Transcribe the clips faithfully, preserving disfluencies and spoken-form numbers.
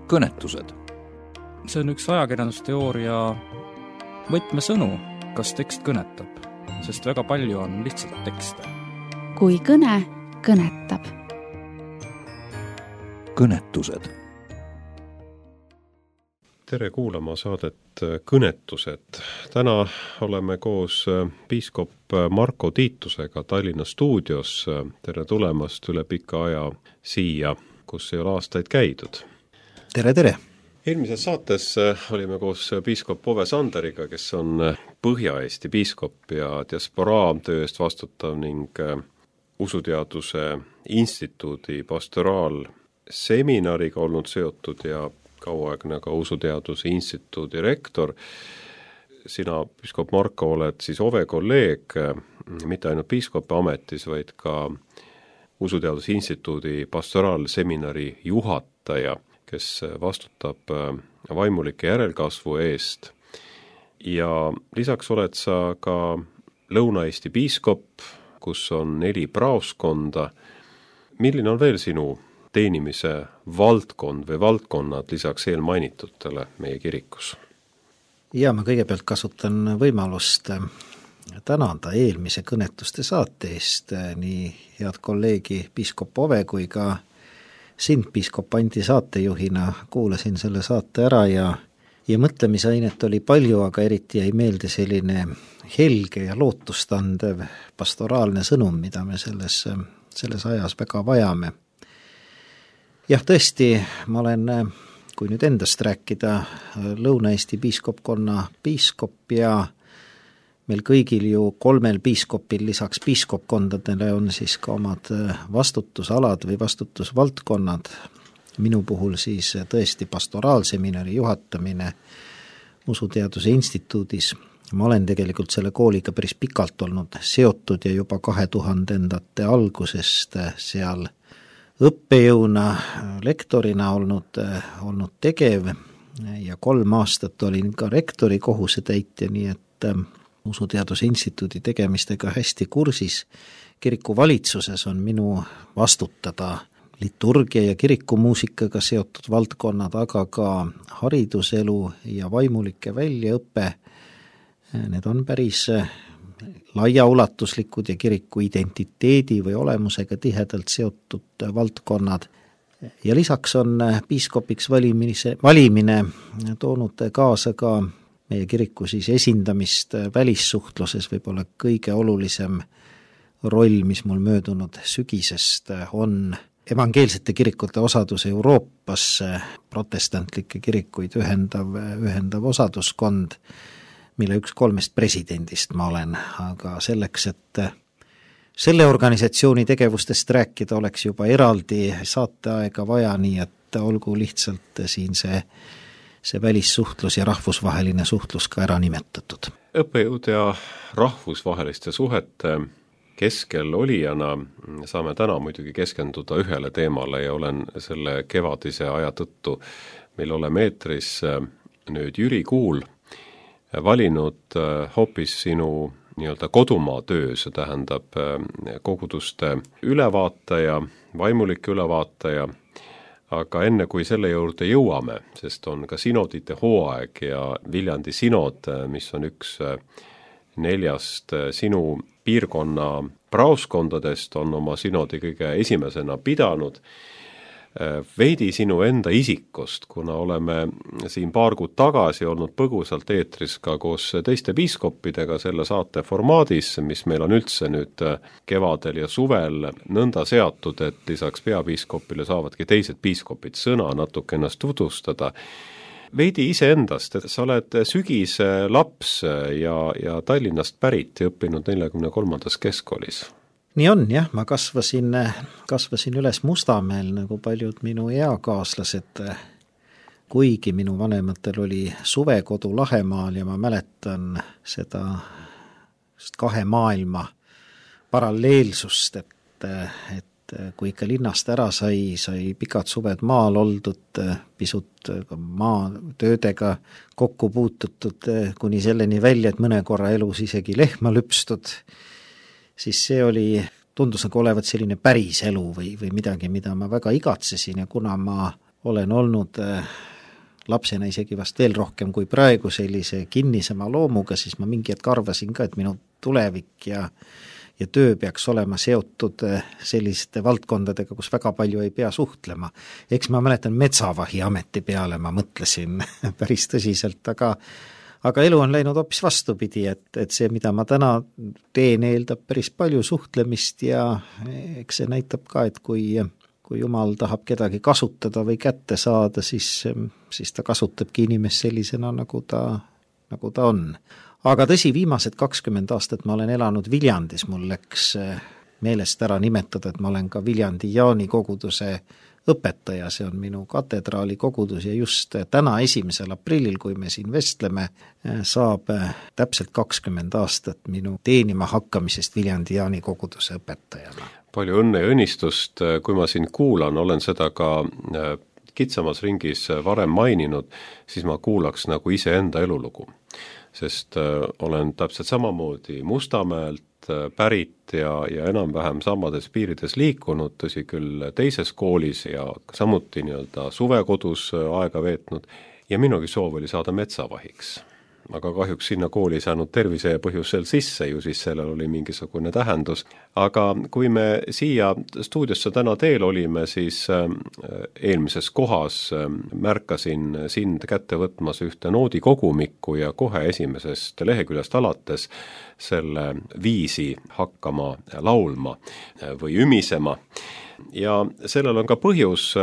kõnetused. See on üks ajakirjandusteooria võtmesõnu, kas tekst kõnetab, sest väga palju on lihtsalt tekste. Kui kõne kõnetab. Kõnetused. Tere kuulama saadet Kõnetused. Täna oleme koos piiskop Marko Tiitusega Tallinna stuudios. Tere tulemast üle pika aja siia, kus ei ole aastaid käidud. Tere, tere! Eelmises saates olime koos piiskop Ove Sanderiga, kes on Põhja-Eesti piiskop ja diasporaa töö eest vastutav ning usuteaduse instituudi pastoraalseminariga olnud seotud ja kauaaegne ka usuteaduse instituudi rektor. Sina, piiskop Marko, oled siis Ove kolleeg, mitte ainult piiskopi ametis, vaid ka usuteaduse instituudi pastoraalseminari juhataja, kes vastutab vaimulike järelkasvu eest. Ja lisaks oled sa ka Lõuna-Eesti piiskop, kus on neli praoskonda. Milline on veel sinu teenimise valdkond või valdkonnad lisaks eelmainitutele meie kirikus? Ja ma kõigepealt kasutan võimalust tänada eelmise kõnetuste saate eest nii head kolleegi piiskop Ove kui ka sind piiskop Andi saatejuhina. Kuulasin selle saate ära ja, ja mõtlemisainet oli palju, aga eriti jäi meelde selline helge ja lootustandev pastoraalne sõnum, mida me selles, selles ajas väga vajame. Jah, tõesti, ma olen, kui nüüd endast rääkida, Lõuna-Eesti piiskopkonna piiskop ja meil kõigil ju kolmel piiskopil lisaks piiskopkondadele on siis ka omad vastutusalad või vastutusvaldkonnad. Minu puhul siis tõesti pastoraalseminari juhatamine usuteaduse instituudis. Ma olen tegelikult selle kooliga päris pikalt olnud seotud ja juba kahe tuhandendate algusest seal õppejõuna, lektorina olnud, olnud tegev ja kolm aastat olin ka rektori kohusetäitja, nii et usuteaduse instituudi tegemistega hästi kursis. Kiriku valitsuses on minu vastutada liturgia ja kirikumuusikaga seotud valdkonnad, aga ka hariduselu ja vaimulike väljaõppe. Need on päris laiaulatuslikud ja kiriku identiteedi või olemusega tihedalt seotud valdkonnad. Ja lisaks on piiskopiks valimise, valimine toonud kaasa ka meie kiriku siis esindamist välissuhtluses, võib-olla kõige olulisem roll, mis mul möödunud sügisest on evangeelsete kirikute osadus Euroopas, protestantlikke kirikuid ühendav, ühendav osaduskond, mille üks kolmest presidendist ma olen, aga selleks, et selle organisatsiooni tegevustest rääkida, oleks juba eraldi saateaega vaja, nii et olgu lihtsalt siin see see välissuhtlus ja rahvusvaheline suhtlus ka ära nimetatud. Õppejõud ja rahvusvaheliste suhete keskel olijana saame täna muidugi keskenduda ühele teemale ja olen selle kevadise aja tõttu, mil oleme eetris nüüd Jüri Kuul valinud hoopis sinu nii-öelda kodumaa töö, see tähendab koguduste ülevaataja, vaimulike ülevaataja. Aga enne kui selle juurde jõuame, sest on ka sinodite hooaeg ja Viljandi sinod, mis on üks neljast sinu piirkonna praoskondadest, on oma sinodi kõige esimesena pidanud. Veidi sinu enda isikust, kuna oleme siin paar kuud tagasi olnud põgusalt eetris ka koos teiste piiskoppidega selle saate formaadis, mis meil on üldse nüüd kevadel ja suvel nõnda seatud, et lisaks peapiiskopile saavadki teised piiskopid sõna natuke ennast tutvustada. Veidi ise endast, et sa oled sügise laps ja, ja Tallinnast pärit ja õppinud neljakümne kolmandas keskkoolis. Nii on, jah, ma kasvasin, kasvasin üles Mustamäel nagu paljud minu eakaaslased, kuigi minu vanematel oli suvekodu Lahemaal ja ma mäletan seda kahe maailma paralleelsust, et, et kui ikka linnast ära sai, sai pikad suved maal oldud, pisut maatöödega kokku puututud, kuni selleni välja, et mõne korra elus isegi lehma lüpstud, siis see oli, tundus nagu olevat selline päris elu või, või midagi, mida ma väga igatsesin ja kuna ma olen olnud lapsena isegi vast veel rohkem kui praegu sellise kinnisema loomuga, siis ma mingi hetk arvasin ka, et minu tulevik ja ja töö peaks olema seotud selliste valdkondadega, kus väga palju ei pea suhtlema. Eks ma mäletan metsavahi ameti peale, ma mõtlesin päris tõsiselt, aga aga elu on läinud hoopis vastupidi, et, et see, mida ma täna teen, eeldab päris palju suhtlemist ja eks see näitab ka, et kui, kui Jumal tahab kedagi kasutada või kätte saada, siis, siis ta kasutabki inimest sellisena, nagu ta, nagu ta on. Aga tõsi, viimased kakskümmend aastat ma olen elanud Viljandis, mul läks meelest ära nimetada, et ma olen ka Viljandi Jaani koguduse õpetaja, see on minu katedraali kogudus ja just täna esimesel aprillil, kui me siin vestleme, saab täpselt kakskümmend aastat minu teenima hakkamisest Viljandi Jaani koguduse õpetajana. Palju õnne ja õnnistust, kui ma sind kuulan, olen seda ka kitsamas ringis varem maininud, siis ma kuulaks nagu iseenda elulugu. Sest olen täpselt samamoodi Mustamäelt pärit ja, ja enam-vähem samades piirides liikunud, tõsi küll teises koolis ja samuti nii-öelda suvekodus aega veetnud ja minugi soov oli saada metsavahiks. Aga kahjuks sinna kooli ei saanud tervise põhjusel sisse, ju siis sellel oli mingisugune tähendus. Aga kui me siia stuudiosse täna teel olime, siis eelmises kohas märkasin sind kätte võtmas ühte noodikogumikku ja kohe esimesest leheküljest alates selle viisi hakkama laulma või ümisema. Ja sellel on ka põhjus,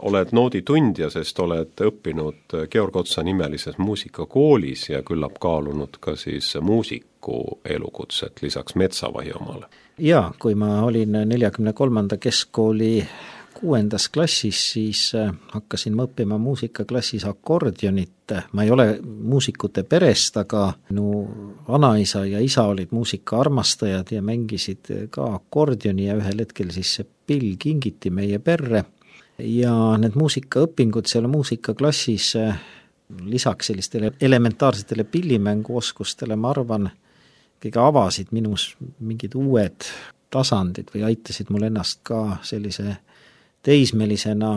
oled nooditundja, sest oled õppinud Georg Otsa nimelises muusikakoolis ja küllap kaalunud ka siis muusiku elukutset lisaks metsavahi omale. Jaa, kui ma olin neljakümne kolmanda keskkooli kuuendas klassis, siis hakkasin ma õppima muusikaklassis akordionit. Ma ei ole muusikute perest, aga minu vanaisa ja isa olid muusika armastajad ja mängisid ka akordioni ja ühel hetkel siis see pill kingiti meie perre. Ja need muusikaõpingud seal muusikaklassis lisaks sellistele elementaarsetele pillimänguoskustele, ma arvan, kõige avasid minus mingid uued tasandid või aitasid mul ennast ka sellise teismelisena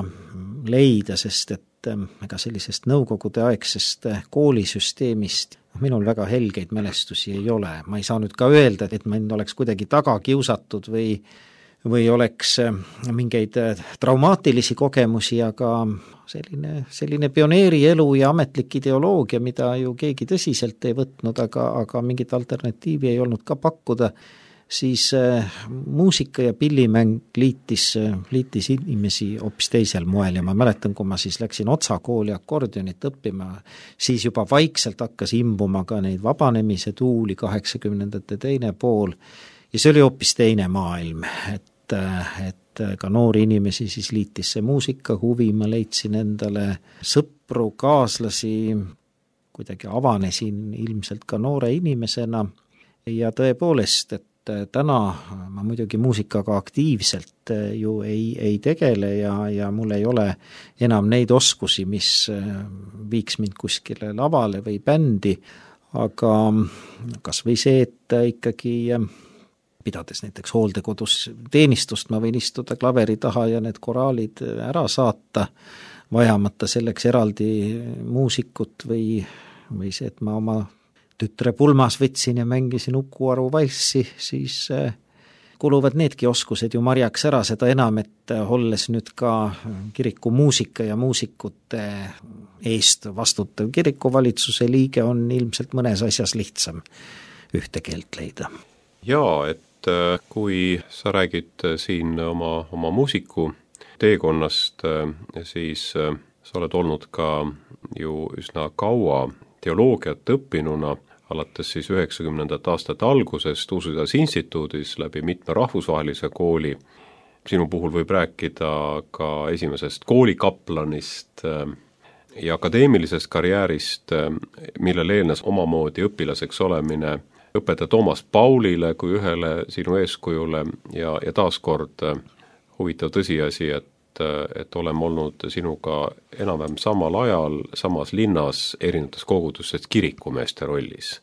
leida, sest et ega sellisest nõukogude aegsest koolisüsteemist minul väga helgeid mälestusi ei ole. Ma ei saa nüüd ka öelda, et mind oleks kuidagi taga kiusatud või, või oleks mingeid traumaatilisi kogemusi, aga selline, selline pioneeri elu ja ametlik ideoloogia, mida ju keegi tõsiselt ei võtnud, aga, aga mingit alternatiivi ei olnud ka pakkuda, siis äh, muusika ja pillimäng liitis, liitis inimesi hoopis teisel moel ja ma mäletan, kui ma siis läksin Otsa kooli akordionit õppima, siis juba vaikselt hakkas imbuma ka neid vabanemise tuuli kaheksakümnendate teine pool ja see oli hoopis teine maailm, et, et ka noori inimesi siis liitis see muusika huvi, ma leidsin endale sõpru, kaaslasi, kuidagi avanesin ilmselt ka noore inimesena ja tõepoolest, et täna ma muidugi muusikaga aktiivselt ju ei, ei tegele ja, ja mul ei ole enam neid oskusi, mis viiks mind kuskile lavale või bändi, aga kas või see, et ikkagi pidades näiteks hooldekodus teenistust, ma võin istuda klaveri taha ja need koraalid ära saata, vajamata selleks eraldi muusikut või, või see, et ma oma tütre pulmas võtsin ja mängisin Uku Aru valssi, siis kuluvad needki oskused ju marjaks ära, seda enam, et olles nüüd ka kiriku muusika ja muusikute eest vastutav kirikuvalitsuse liige, on ilmselt mõnes asjas lihtsam ühte keelt leida. Jaa, et kui sa räägid siin oma, oma muusiku teekonnast, siis sa oled olnud ka ju üsna kaua teoloogiat õppinuna, alates siis üheksakümnendate aastate algusest Uusüdas instituudis läbi mitme rahvusvahelise kooli. Sinu puhul võib rääkida ka esimesest koolikaplanist ja akadeemilisest karjäärist, millele eelnes omamoodi õpilaseks olemine õpetaja Toomas Paulile kui ühele sinu eeskujule ja, ja taaskord huvitav tõsiasi, et et oleme olnud sinuga enam-vähem samal ajal, samas linnas erinevates kogudustes kirikumeeste rollis.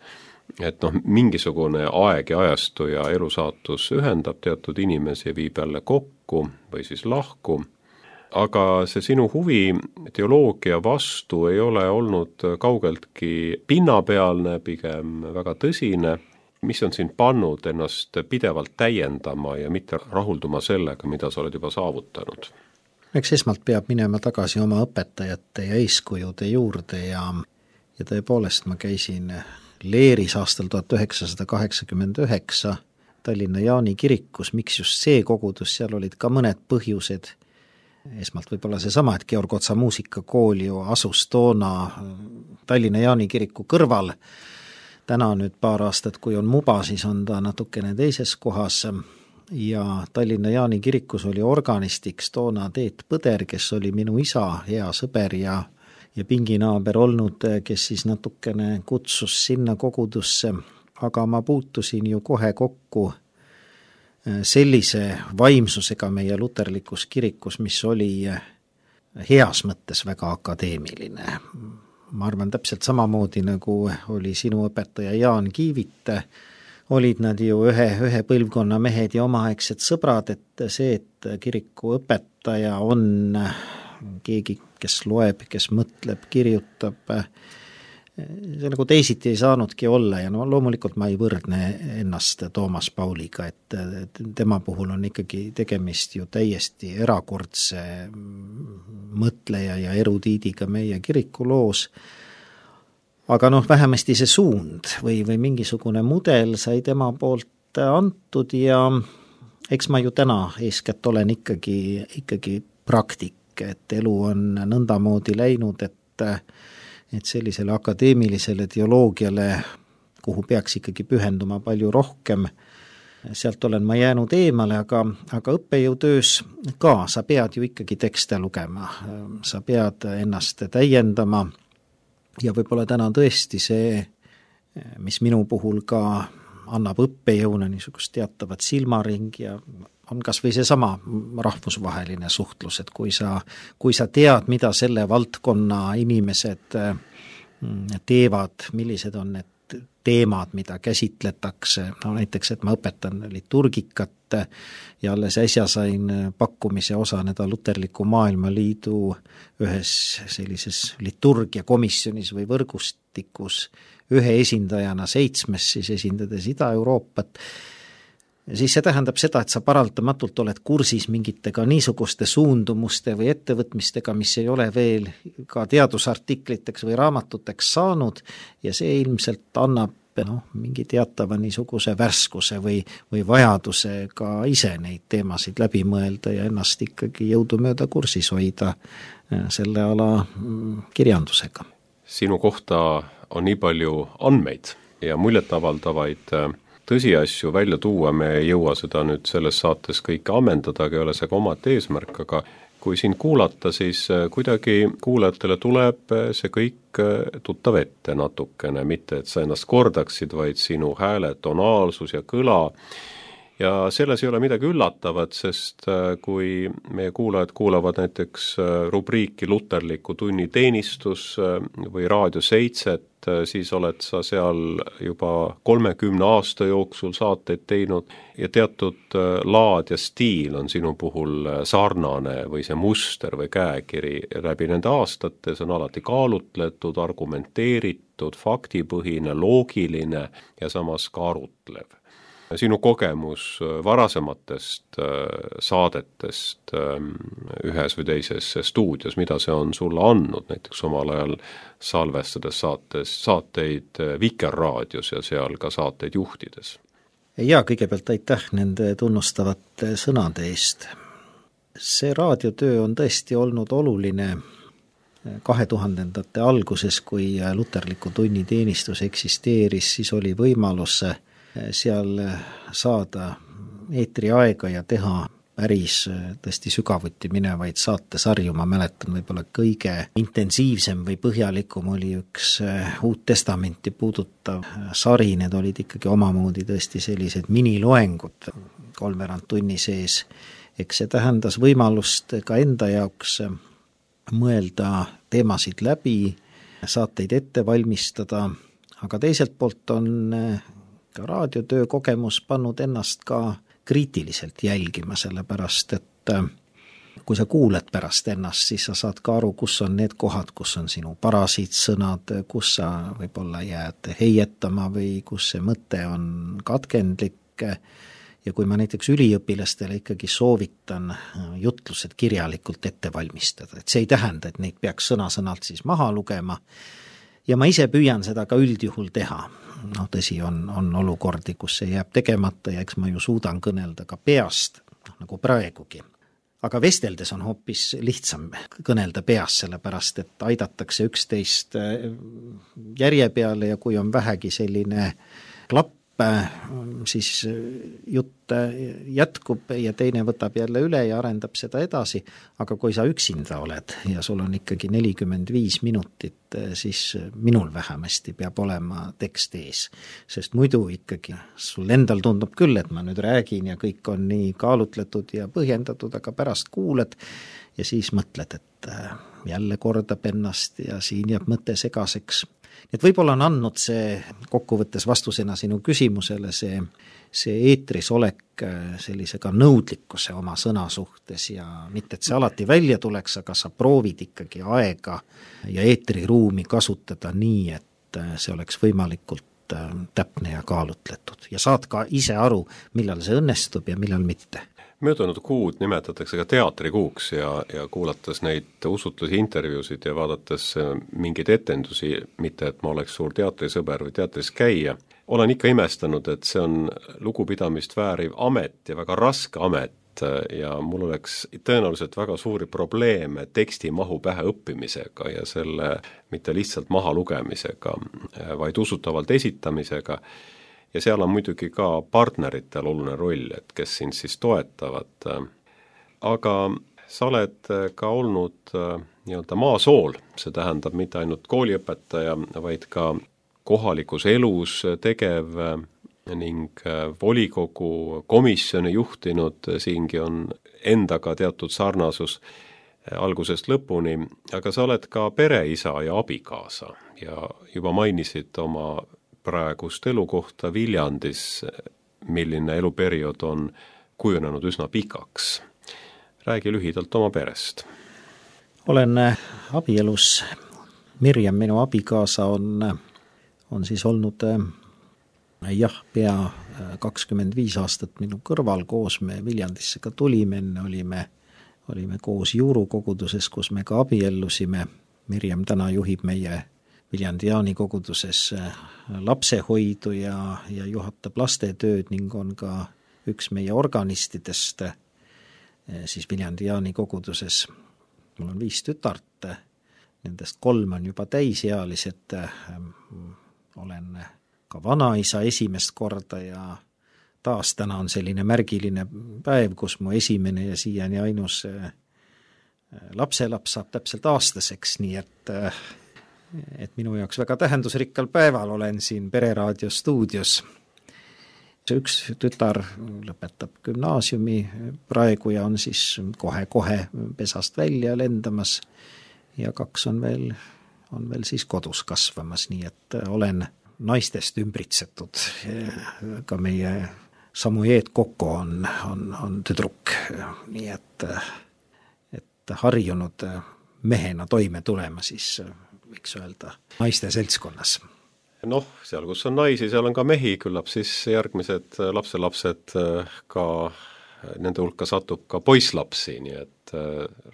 Et noh, mingisugune aeg ja ajastu ja elusaatus ühendab teatud inimesi ja viib jälle kokku või siis lahku, aga see sinu huvi teoloogia vastu ei ole olnud kaugeltki pinnapealne, pigem väga tõsine. Mis on sind pannud ennast pidevalt täiendama ja mitte rahulduma sellega, mida sa oled juba saavutanud? Eks esmalt peab minema tagasi oma õpetajate ja eeskujude juurde ja, ja tõepoolest ma käisin Leeris aastal tuhat üheksasada kaheksakümmend üheksa Tallinna Jaani kirikus. Miks just see kogudus, seal olid ka mõned põhjused. Esmalt võib-olla seesama, et Georg Otsa muusikakool ju asus toona Tallinna Jaani kiriku kõrval. Täna nüüd paar aastat, kui on Muba, siis on ta natukene teises kohas ja Tallinna Jaani kirikus oli organistiks toona Teet Põder, kes oli minu isa hea sõber ja, ja pinginaaber olnud, kes siis natukene kutsus sinna kogudusse, aga ma puutusin ju kohe kokku sellise vaimsusega meie luterlikus kirikus, mis oli heas mõttes väga akadeemiline. Ma arvan täpselt samamoodi, nagu oli sinu õpetaja Jaan Kiivit, olid nad ju ühe, ühe põlvkonna mehed ja omaaegsed sõbrad, et see, et kiriku õpetaja on keegi, kes loeb, kes mõtleb, kirjutab, see nagu teisiti ei saanudki olla ja no loomulikult ma ei võrdne ennast Toomas Pauliga, et tema puhul on ikkagi tegemist ju täiesti erakordse mõtleja ja erudiidiga meie kirikuloos, aga noh, vähemasti see suund või, või mingisugune mudel sai tema poolt antud ja eks ma ju täna eeskätt olen ikkagi, ikkagi praktik, et elu on nõndamoodi läinud, et et sellisele akadeemilisele teoloogiale, kuhu peaks ikkagi pühenduma palju rohkem, sealt olen ma jäänud eemale, aga, aga õppejõutöös ka sa pead ju ikkagi tekste lugema, sa pead ennast täiendama ja võib-olla täna tõesti see, mis minu puhul ka annab õppejõuna niisugust teatavat silmaring ja on kas või seesama rahvusvaheline suhtlus, et kui sa, kui sa tead, mida selle valdkonna inimesed teevad, millised on need teemad, mida käsitletakse, no näiteks, et ma õpetan liturgikat ja alles äsja sain pakkumise osaneda Luterliku Maailmaliidu ühes sellises liturgiakomisjonis või võrgustikus ühe esindajana seitsmes, siis esindades Ida-Euroopat, siis see tähendab seda, et sa paraldamatult oled kursis mingitega niisuguste suundumuste või ettevõtmistega, mis ei ole veel ka teadusartikliteks või raamatuteks saanud ja see ilmselt annab noh, mingi teatava niisuguse värskuse või, või vajaduse ka ise neid teemasid läbi mõelda ja ennast ikkagi jõudumööda kursis hoida selle ala kirjandusega. Sinu kohta on nii palju andmeid ja muljetavaldavaid tõsiasju välja tuua, me ei jõua seda nüüd selles saates kõike ammendada, aga ei ole see ka omad eesmärk, aga kui sind kuulata, siis kuidagi kuulajatele tuleb see kõik tuttav ette natukene, mitte et sa ennast kordaksid, vaid sinu hääle tonaalsus ja kõla. Ja selles ei ole midagi üllatavat, sest kui meie kuulajad kuulavad näiteks rubriiki Luterliku tunni teenistus või Raadio seitset, siis oled sa seal juba kolmekümne aasta jooksul saateid teinud ja teatud laad ja stiil on sinu puhul sarnane või see muster või käekiri läbi nende aastate, see on alati kaalutletud, argumenteeritud, faktipõhine, loogiline ja samas ka arutlev. Sinu kogemus varasematest saadetest ühes või teises stuudios, mida see on sulle andnud, näiteks omal ajal salvestades saates, saateid Vikerraadios ja seal ka saateid juhtides? Ja kõigepealt aitäh nende tunnustavate sõnade eest. See raadiotöö on tõesti olnud oluline kahe tuhandendate alguses, kui Luterliku tunni teenistus eksisteeris, siis oli võimalus seal saada eetriaega ja teha päris tõesti sügavuti minevaid saatesarju. Ma mäletan võib-olla kõige intensiivsem või põhjalikum oli üks Uut Testamenti puudutav sari, need olid ikkagi omamoodi tõesti sellised miniloengud kolmveerand tunni sees. Eks see tähendas võimalust ka enda jaoks mõelda teemasid läbi, saateid ette valmistada, aga teiselt poolt on ka raadiotöö kogemus pannud ennast ka kriitiliselt jälgima, sellepärast et kui sa kuuled pärast ennast, siis sa saad ka aru, kus on need kohad, kus on sinu parasiitsõnad, kus sa võib-olla jääd heietama või kus see mõte on katkendlik. Ja kui ma näiteks üliõpilastele ikkagi soovitan jutlused kirjalikult ette valmistada, et see ei tähenda, et neid peaks sõna-sõnalt siis maha lugema, ja ma ise püüan seda ka üldjuhul teha. No tõsi, on, on olukordi, kus see jääb tegemata ja eks ma ju suudan kõnelda ka peast, nagu praegugi. Aga vesteldes on hoopis lihtsam kõnelda peas, sellepärast et aidatakse üksteist järje peale ja kui on vähegi selline klapp, siis jutt jätkub ja teine võtab jälle üle ja arendab seda edasi, aga kui sa üksinda oled ja sul on ikkagi nelikümmend viis minutit, siis minul vähemasti peab olema tekst ees, sest muidu ikkagi sul endal tundub küll, et ma nüüd räägin ja kõik on nii kaalutletud ja põhjendatud, aga pärast kuuled ja siis mõtled, et jälle kordab ennast ja siin jääb mõte segaseks. Et võib-olla on andnud see kokkuvõttes vastusena sinu küsimusele see, see eetris olek sellise ka nõudlikkuse oma sõna suhtes ja mitte, et see alati välja tuleks, aga sa proovid ikkagi aega ja eetriruumi kasutada nii, et see oleks võimalikult täpne ja kaalutletud ja saad ka ise aru, millal see õnnestub ja millal mitte. Möödunud kuud nimetatakse ka teatrikuuks ja, ja kuulates neid usutlusi intervjuusid ja vaadates mingeid etendusi, mitte et ma oleks suur teatrisõber või teatris käia, olen ikka imestanud, et see on lugupidamist vääriv amet ja väga raske amet ja mul oleks tõenäoliselt väga suuri probleeme teksti mahu pähe õppimisega ja selle mitte lihtsalt maha lugemisega, vaid usutavalt esitamisega. Ja seal on muidugi ka partneritel oluline roll, et kes sind siis toetavad. Aga sa oled ka olnud nii-öelda maasool, see tähendab mitte ainult kooliõpetaja, vaid ka kohalikus elus tegev ning volikogu komisjoni juhtinud, siingi on endaga teatud sarnasus algusest lõpuni, aga sa oled ka pereisa ja abikaasa ja juba mainisid oma praegust elukohta Viljandis, milline eluperiood on kujunenud üsna pikaks. Räägi lühidalt oma perest. Olen abielus. Mirjam, minu abikaasa, on, on siis olnud jah, pea kakskümmend viis aastat minu kõrval, koos me Viljandisse ka tulime, enne olime, olime koos juurukoguduses, kus me ka abiellusime. Mirjam täna juhib meie Viljandi Jaani koguduses lapsehoidu ja, ja juhatab lastetööd ning on ka üks meie organistidest siis Viljandi Jaani koguduses. Mul on viis tütart, nendest kolm on juba täisealised, olen ka vanaisa esimest korda ja taas täna on selline märgiline päev, kus mu esimene ja siiani ainus lapselaps saab täpselt aastaseks, nii et et minu jaoks väga tähendusrikkal päeval olen siin Pereraadio stuudios. Üks tütar lõpetab gümnaasiumi praegu ja on siis kohe-kohe pesast välja lendamas ja kaks on veel, on veel siis kodus kasvamas, nii et olen naistest ümbritsetud. Ka meie Samujeet Koko on, on, on tüdruk, nii et, et harjunud mehena toime tulema siis võiks öelda, naiste seltskonnas. Noh, seal kus on naisi, seal on ka mehi, küllap siis järgmised lapselapsed ka, nende hulka satub ka poisslapsi, nii et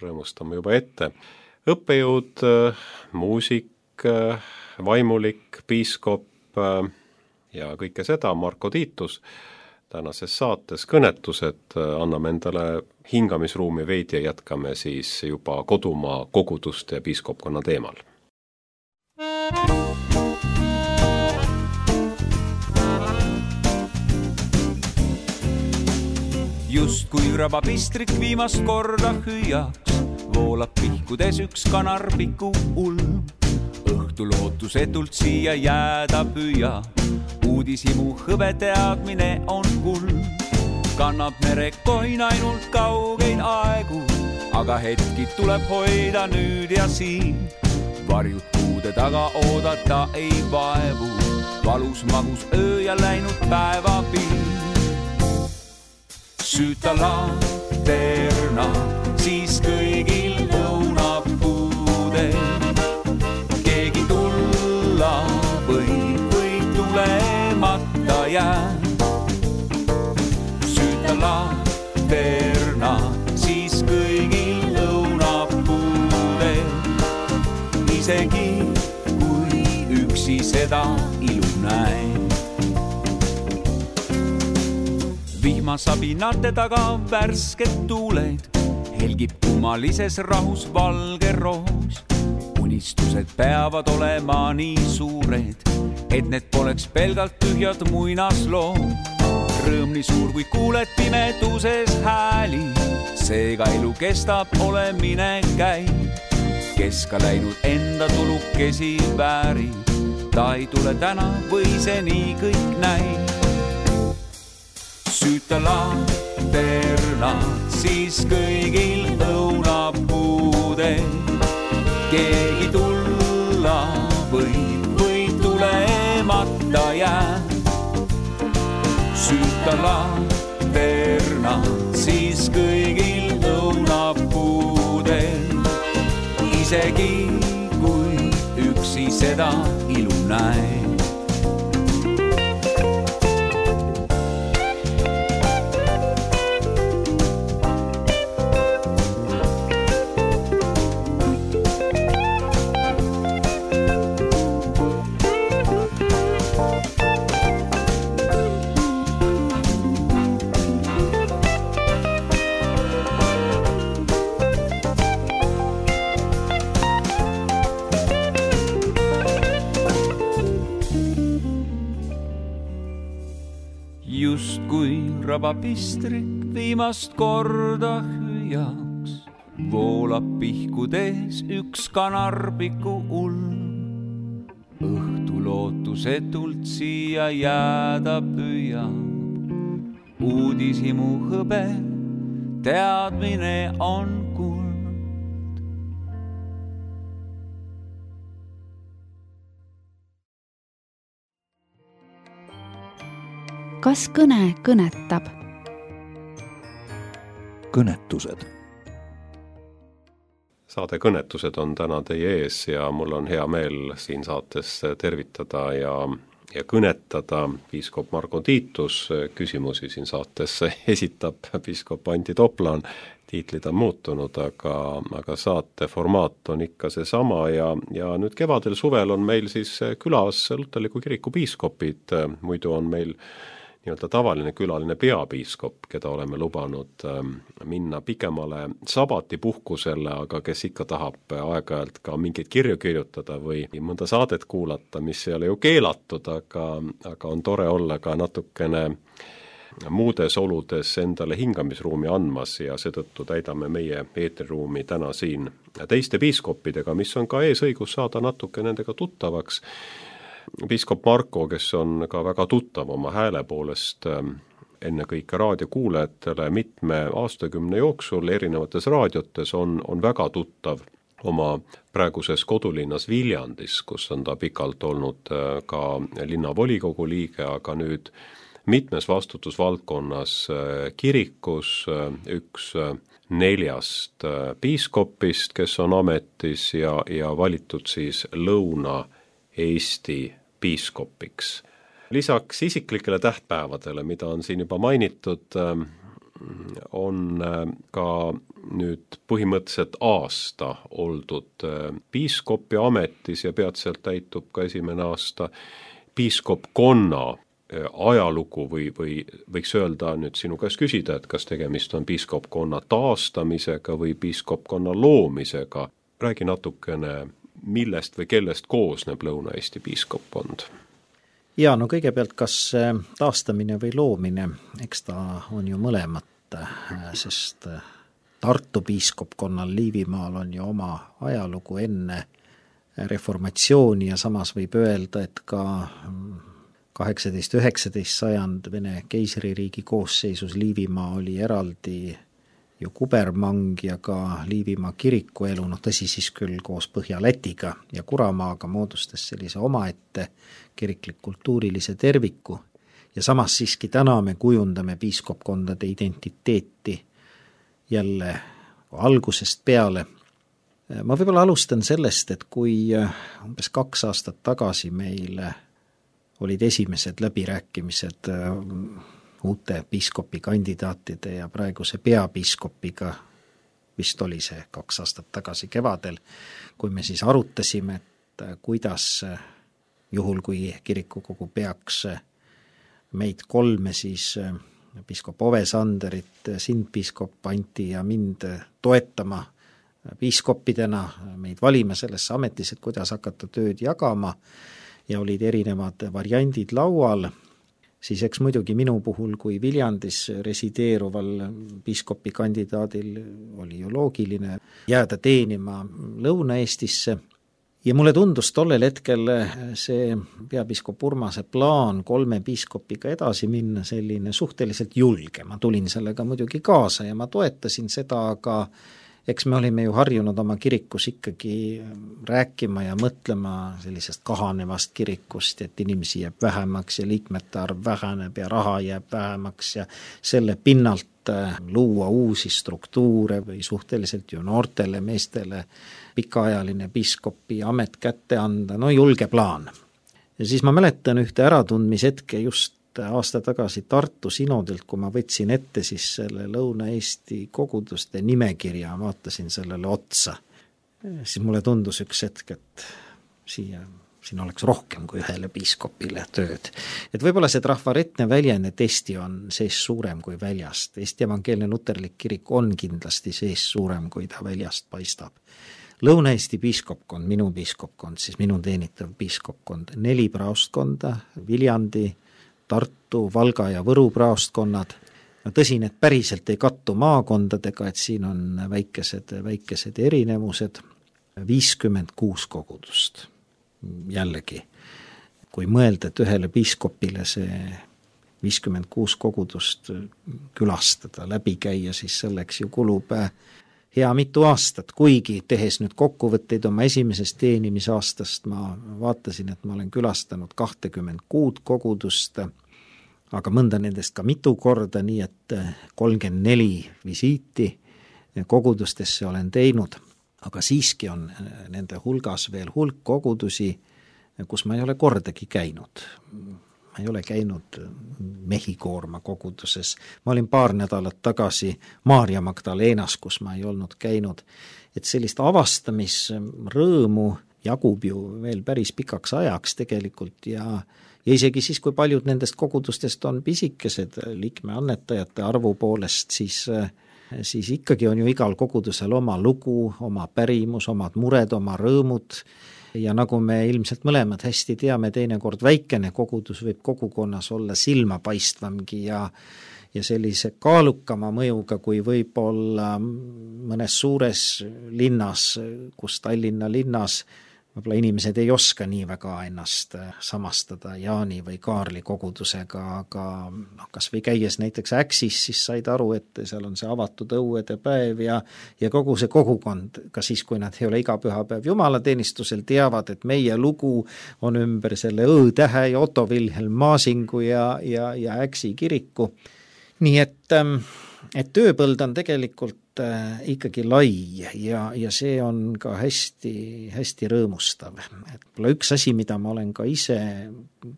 rõõmustame juba ette. Õppejõud, muusik, vaimulik, piiskop ja kõike seda, Marko Tiitus. Tänases saates kõnetused, anname endale hingamisruumi veidi ja jätkame siis juba kodumaa koguduste ja piiskopkonna teemal. Just kui rabapistrik viimast korda hüüaks, voolab pihkudes üks kanarpiku ulm. Õhtu lootusetult siia jääda püüa, uudishimu hõbe teadmine on kulm. Kannab merekoin ainult kaugeid aegu, aga hetki tuleb hoida nüüd ja siin. Varjud kuude taga oodata ei vaevu, valus magus öö ja läinud päevapiir. Süüta lanterna, siis kõigil õunapuudel. Keegi tulla võib või tulemata jää. Süüta laterna siis kõigil õunapuudel. Isegi kui üksi seda ilu näe. Vihmasabinate taga värsked tuuled, helgib kummalises rahus valge roos. Unistused peavad olema nii suured, et need poleks pelgalt tühjad muinasloo. Rõõm nii suur, kui kuuled pimeduses hääli, seega elu kestab, olemine käib. Kes ka läinud enda tulukesi väärib, ta ei tule täna või see nii kõik näib. Süüta laterna siis kõigil õunapuudel. Keegi tulla võib või tulemata jää. Süüta laterna siis kõigil õunapuudel. Isegi kui üksi seda ilu näe. Just kui rabapistrik viimast korda hüüjaks, voolab pihkudes üks kanarpiku ulm. Õhtu lootusetult siia jääda püüab. Uudishimu hõbe, teadmine on kuld. Kas kõne kõnetab? Kõnetused. Saade Kõnetused on täna teie ees ja mul on hea meel siin saates tervitada ja, ja kõnetada piiskop Margo Tiitus. Küsimusi siin saates esitab piiskop Antti Toplaan. Tiitlid on muutunud, aga, aga saate formaat on ikka see sama ja, ja nüüd kevadel suvel on meil siis külas Luterliku kiriku piiskopid. Muidu on meil nii-öelda tavaline külaline peapiiskop, keda oleme lubanud minna pikemale sabatipuhkusele, aga kes ikka tahab aeg-ajalt ka mingeid kirju kirjutada või mõnda saadet kuulata, mis ei ole ju keelatud, aga, aga on tore olla ka natukene muudes oludes endale hingamisruumi andmas ja seetõttu täidame meie eetriruumi täna siin teiste piiskopidega, mis on ka eesõigus saada natuke nendega tuttavaks. Piiskop Marko, kes on ka väga tuttav oma hääle poolest ennekõike raadiokuulajatele mitme aastakümne jooksul erinevates raadiotes, on, on väga tuttav oma praeguses kodulinnas Viljandis, kus on ta pikalt olnud ka linnavolikogu liige, aga nüüd mitmes vastutusvaldkonnas kirikus, üks neljast piiskopist, kes on ametis ja, ja valitud siis Lõuna-Eesti piiskopiks. Lisaks isiklikele tähtpäevadele, mida on siin juba mainitud, on ka nüüd põhimõtteliselt aasta oldud piiskopi ametis ja peatselt täitub ka esimene aasta piiskopkonna ajalugu või, või võiks öelda nüüd sinu käest küsida, et kas tegemist on piiskopkonna taastamisega või piiskopkonna loomisega. Räägi natukene, millest või kellest koosneb Lõuna-Eesti piiskoppkond? Ja no kõigepealt, kas taastamine või loomine, eks ta on ju mõlemat, sest Tartu piiskopkonnal Liivimaal on ju oma ajalugu enne reformatsiooni ja samas võib öelda, et ka kaheksateist üheksateist sajand Vene keisririigi koosseisus Liivimaa oli eraldi ju kubermang ja ka Liivimaa kirikuelu, noh tõsi siis küll koos Põhja-Lätiga ja Kuramaaga moodustas sellise omaette kiriklik-kultuurilise terviku ja samas siiski täna me kujundame piiskopkondade identiteeti jälle algusest peale. Ma võib-olla alustan sellest, et kui umbes kaks aastat tagasi meil olid esimesed läbirääkimised uute piiskopi kandidaatide ja praeguse peapiiskopiga, vist oli see kaks aastat tagasi kevadel, kui me siis arutasime, et kuidas juhul, kui kirikukogu peaks meid kolme siis piiskop Ove Sanderit, sind piiskop Anti ja mind toetama piiskoppidena, meid valima sellesse ametis, et kuidas hakata tööd jagama ja olid erinevad variandid laual, siis eks muidugi minu puhul kui Viljandis resideeruval piiskopi kandidaadil oli ju loogiline jääda teenima Lõuna-Eestisse. Ja mulle tundus tollel hetkel see peapiiskop Urmase plaan kolme piiskopiga edasi minna selline suhteliselt julge. Ma tulin sellega muidugi kaasa ja ma toetasin seda, aga eks me olime ju harjunud oma kirikus ikkagi rääkima ja mõtlema sellisest kahanevast kirikust, et inimesi jääb vähemaks ja liikmete arv väheneb ja raha jääb vähemaks ja selle pinnalt luua uusi struktuure või suhteliselt ju noortele meestele pikaajaline piiskopi amet kätte anda, no julge plaan. Ja siis ma mäletan ühte äratundmishetke just aasta tagasi Tartu sinodilt, kui ma võtsin ette siis selle Lõuna-Eesti koguduste nimekirja, vaatasin sellele otsa, siis mulle tundus üks hetk, et siia, siin oleks rohkem kui ühele piiskopile tööd. Et võib-olla see trafaretne väljend, et Eesti on sees suurem kui väljast. Eesti evangeelne luterlik kirik on kindlasti sees suurem, kui ta väljast paistab. Lõuna-Eesti piiskopkond, minu piiskopkond, siis minu teenitav piiskopkond, neli praostkonda, Viljandi, Tartu, Valga ja Võru praostkonnad. No tõsi, need päriselt ei kattu maakondadega, et siin on väikesed, väikesed erinevused. viiskümmend kuus kogudust. Jällegi, kui mõelda, et ühele piiskopile see viiskümmend kuus kogudust külastada, läbi käia, siis selleks ju kulub hea mitu aastat, kuigi tehes nüüd kokkuvõtteid oma esimesest teenimisaastast, ma vaatasin, et ma olen külastanud kakskümmend kuus kogudust, aga mõnda nendest ka mitu korda, nii et kolmkümmend neli visiiti kogudustesse olen teinud, aga siiski on nende hulgas veel hulk kogudusi, kus ma ei ole kordagi käinud. Ma ei ole käinud Mehhikoorma koguduses. Ma olin paar nädalat tagasi Maarja Magdalenas, kus ma ei olnud käinud. Et sellist avastamisrõõmu jagub ju veel päris pikaks ajaks tegelikult ja, ja isegi siis, kui paljud nendest kogudustest on pisikesed liikme annetajate arvu poolest, siis, siis ikkagi on ju igal kogudusel oma lugu, oma pärimus, omad mured, oma rõõmud. Ja nagu me ilmselt mõlemad hästi teame, teinekord väikene kogudus võib kogukonnas olla silmapaistvamgi ja, ja sellise kaalukama mõjuga, kui võib olla mõnes suures linnas, kus Tallinna linnas võib-olla inimesed ei oska nii väga ennast samastada Jaani või Kaarli kogudusega, aga no, kas või käies näiteks Äksis, siis said aru, et seal on see avatud õuede päev ja, ja kogu see kogukond, ka siis, kui nad ei ole iga pühapäev jumalateenistusel, teavad, et meie lugu on ümber selle Õ-tähe ja Otto Wilhelm Maasingu ja, ja, ja Äksi kiriku. Nii et, et tööpõld on tegelikult ikkagi lai ja, ja see on ka hästi, hästi rõõmustav. Et üks asi, mida ma olen ka ise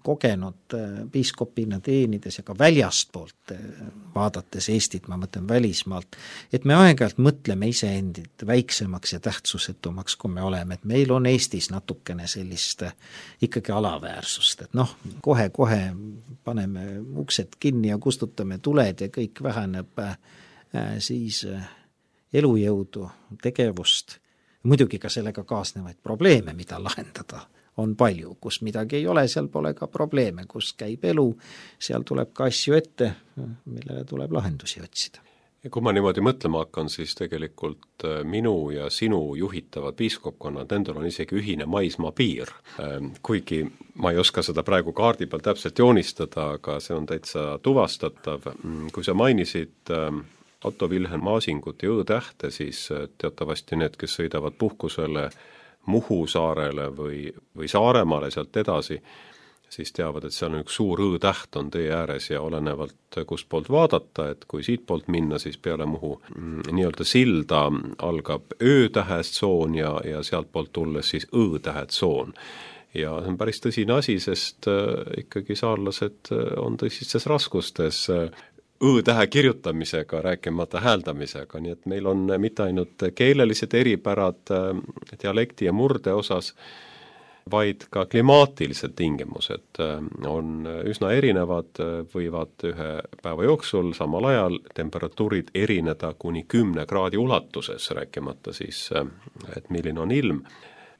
kogenud piiskopina teenides ja ka väljastpoolt vaadates Eestit, ma mõtlen välismaalt, et me aeg-ajalt mõtleme iseendid väiksemaks ja tähtsusetumaks, kui me oleme, et meil on Eestis natukene sellist ikkagi alaväärsust, et noh, kohe-kohe paneme uksed kinni ja kustutame tuled ja kõik väheneb siis elujõudu, tegevust, muidugi ka sellega kaasnevaid probleeme, mida lahendada on palju, kus midagi ei ole, seal pole ka probleeme, kus käib elu, seal tuleb ka asju ette, millele tuleb lahendusi otsida. Ja kui ma niimoodi mõtlema hakkan, siis tegelikult minu ja sinu juhitavad piiskopkonnad, nendel on isegi ühine maismaa piir. Kuigi ma ei oska seda praegu kaardi peal täpselt joonistada, aga see on täitsa tuvastatav. Kui sa mainisid Otto Wilhelm Maasingut ja Õ-tähte, siis teatavasti need, kes sõidavad puhkusele Muhu saarele või, või Saaremaale sealt edasi, siis teavad, et seal on üks suur õ-täht on tee ääres ja olenevalt kust poolt vaadata, et kui siit poolt minna, siis peale Muhu nii-öelda silda algab ö-tähest tsoon ja, ja sealt poolt tulles siis õ-tähed tsoon. Ja see on päris tõsine asi, sest ikkagi saarlased on tõsistes raskustes õ-tähe kirjutamisega, rääkimata hääldamisega, nii et meil on mitte ainult keelelised eripärad dialekti ja murde osas, vaid ka klimaatilised tingimused on üsna erinevad, võivad ühe päeva jooksul samal ajal temperatuurid erineda kuni kümne kraadi ulatuses, rääkimata siis, et milline on ilm.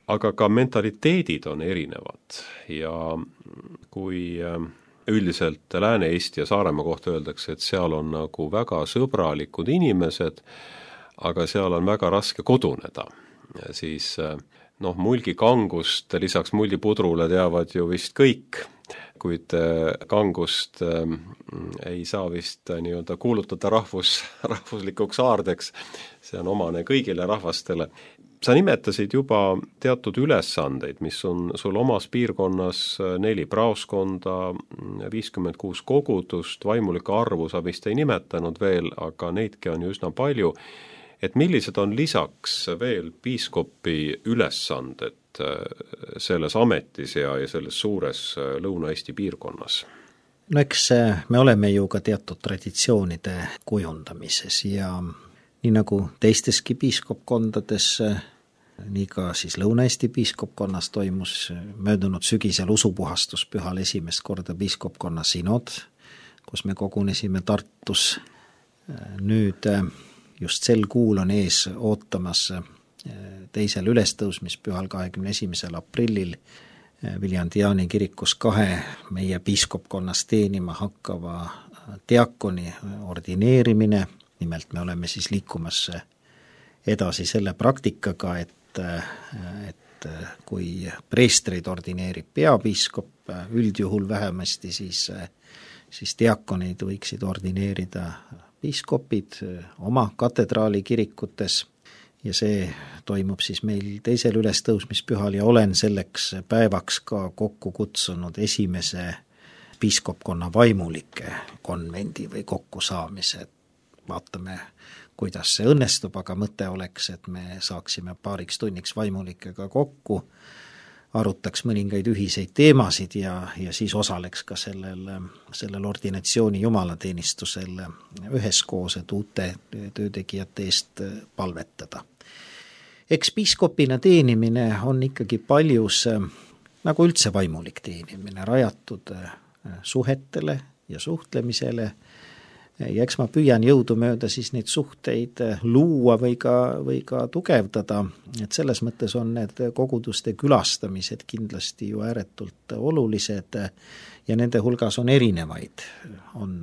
Aga ka mentaliteedid on erinevad ja kui üldiselt Lääne-Eesti ja Saaremaa kohta öeldakse, et seal on nagu väga sõbralikud inimesed, aga seal on väga raske koduneda. Ja siis noh, mulgikangust lisaks muldipudrule teavad ju vist kõik, kuid kangust ei saa vist nii-öelda kuulutada rahvus, rahvuslikuks aardeks, see on omane kõigile rahvastele. Sa nimetasid juba teatud ülesandeid, mis on sul omas piirkonnas neli praoskonda, viiskümmend kuus kogudust, vaimulike arvu sa vist ei nimetanud veel, aga neidki on ju üsna palju. Et millised on lisaks veel piiskopi ülesanded selles ametis ja, ja selles suures Lõuna-Eesti piirkonnas? No eks me oleme ju ka teatud traditsioonide kujundamises ja nii nagu teisteski piiskopkondades, nii ka siis Lõuna-Eesti piiskopkonnas toimus möödunud sügisel usupuhastus pühal esimest korda piiskopkonna sinod, kus me kogunesime Tartus. Nüüd just sel kuul on ees ootamas teisel ülestõusmispühal kahekümne esimesel aprillil Viljandi Jaani kirikus kahe meie piiskopkonnas teenima hakkava diakoni ordineerimine. Nimelt me oleme siis liikumas edasi selle praktikaga, et, et kui preestreid ordineerib peapiiskop, üldjuhul vähemasti, siis, siis diakoneid võiksid ordineerida piiskopid oma katedraali kirikutes ja see toimub siis meil teisel ülestõusmispühal ja olen selleks päevaks ka kokku kutsunud esimese piiskopkonna vaimulike konvendi või kokkusaamise. Vaatame, kuidas see õnnestub, aga mõte oleks, et me saaksime paariks tunniks vaimulikega kokku, arutaks mõningaid ühiseid teemasid ja, ja siis osaleks ka sellel, sellel ordinatsiooni jumalateenistusel üheskoos, et uute töötegijate eest palvetada. Eks piiskopina teenimine on ikkagi paljus, nagu üldse vaimulik teenimine, rajatud suhetele ja suhtlemisele, ja eks ma püüan jõudumööda siis neid suhteid luua või ka, või ka tugevdada, et selles mõttes on need koguduste külastamised kindlasti ju ääretult olulised ja nende hulgas on erinevaid. On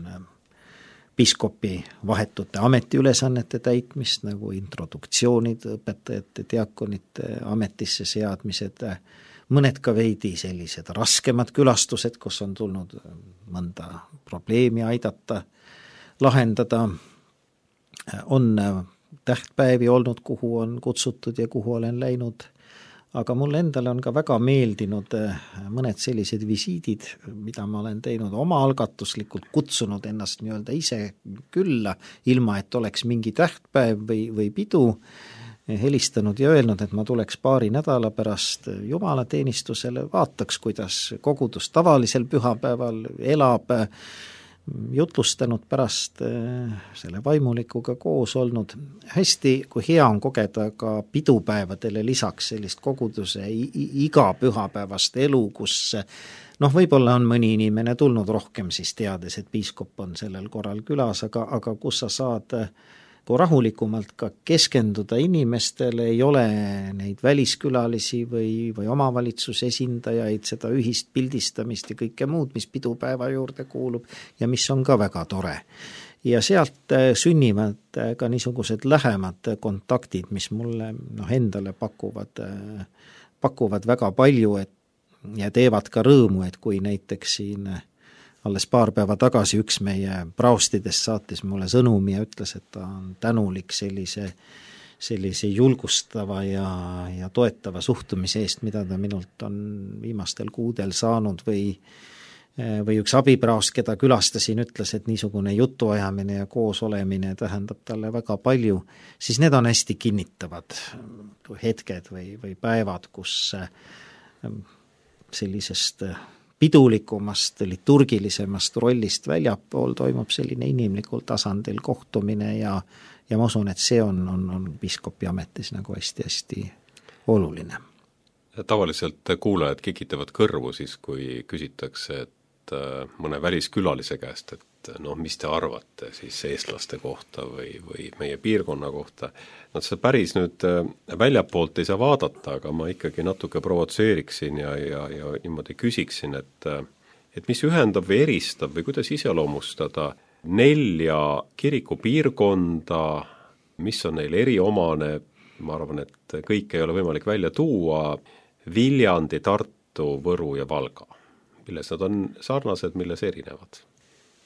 piiskopi vahetute ametiülesannete täitmist, nagu introduktsioonid, õpetajate, diakonite ametisse seadmised, mõned ka veidi sellised raskemad külastused, kus on tulnud mõnda probleemi aidata lahendada, on tähtpäevi olnud, kuhu on kutsutud ja kuhu olen läinud, aga mulle endale on ka väga meeldinud mõned sellised visiidid, mida ma olen teinud oma algatuslikult, kutsunud ennast nii-öelda ise külla, ilma et oleks mingi tähtpäev või, või pidu, helistanud ja öelnud, et ma tuleks paari nädala pärast jumalateenistusele, vaataks, kuidas kogudus tavalisel pühapäeval elab, jutlustanud pärast selle vaimulikuga koos olnud. Hästi, kui hea on kogeda ka pidupäevadele lisaks sellist koguduse iga pühapäevast elu, kus noh, võib-olla on mõni inimene tulnud rohkem siis teades, et piiskop on sellel korral külas, aga, aga kus sa saad kui rahulikumalt ka keskenduda inimestele, ei ole neid väliskülalisi või, või omavalitsuse esindajaid, seda ühist pildistamist ja kõike muud, mis pidupäeva juurde kuulub ja mis on ka väga tore. Ja sealt sünnivad ka niisugused lähemad kontaktid, mis mulle noh, endale pakuvad, pakuvad väga palju et, ja teevad ka rõõmu, et kui näiteks siin alles paar päeva tagasi üks meie praostidest saatis mulle sõnumi ja ütles, et ta on tänulik sellise, sellise julgustava ja, ja toetava suhtumise eest, mida ta minult on viimastel kuudel saanud või või üks abipraos, keda külastasin, ütles, et niisugune jutuajamine ja koos olemine tähendab talle väga palju, siis need on hästi kinnitavad hetked või, või päevad, kus sellisest pidulikumast, liturgilisemast rollist väljapool toimub selline inimlikul tasandil kohtumine ja, ja ma usun, et see on, on, on piiskopi ametis nagu hästi-hästi oluline. Tavaliselt kuulajad kikitavad kõrvu siis, kui küsitakse, et mõne väliskülalise käest, et noh, mis te arvate siis eestlaste kohta või, või meie piirkonna kohta. No see päris nüüd väljapoolt ei saa vaadata, aga ma ikkagi natuke provotseeriksin ja, ja, ja niimoodi küsiksin, et, et mis ühendab või eristab või kuidas iseloomustada nelja kirikupiirkonda, mis on neil eriomane, ma arvan, et kõik ei ole võimalik välja tuua, Viljandi, Tartu, Võru ja Valga. Milles nad on sarnased, milles erinevad?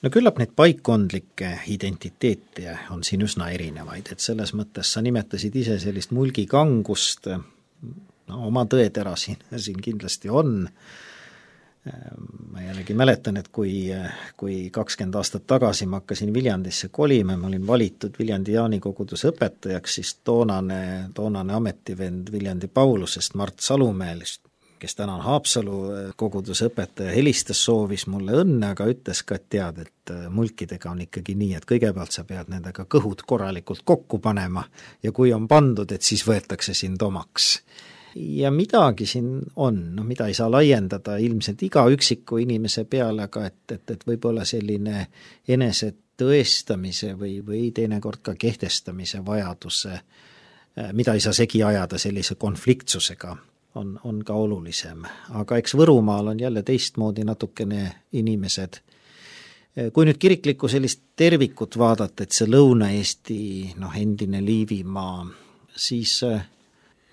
No küllap neid paikkondlikke identiteete on siin üsna erinevaid, et selles mõttes sa nimetasid ise sellist mulgikangust, no oma tõetera siin, siin kindlasti on. Ma jällegi mäletan, et kui, kui kakskümmend aastat tagasi ma hakkasin Viljandisse kolima, ma olin valitud Viljandi Jaani koguduse õpetajaks, siis toonane, toonane ametivend Viljandi Paulusest, Mart Salumäelist, kes täna on Haapsalu koguduse õpetaja, helistas, soovis mulle õnne, aga ütles ka, et tead, et mulkidega on ikkagi nii, et kõigepealt sa pead nendega kõhud korralikult kokku panema ja kui on pandud, et siis võetakse sind omaks. Ja midagi siin on, no mida ei saa laiendada ilmselt iga üksiku inimese peale, aga et, et, et võib-olla selline enese tõestamise või, või teinekord ka kehtestamise vajaduse, mida ei saa segi ajada sellise konfliktsusega, on, on ka olulisem. Aga eks Võrumaal on jälle teistmoodi natukene inimesed. Kui nüüd kiriklikku sellist tervikut vaadata, et see Lõuna-Eesti, noh, endine Liivimaa, siis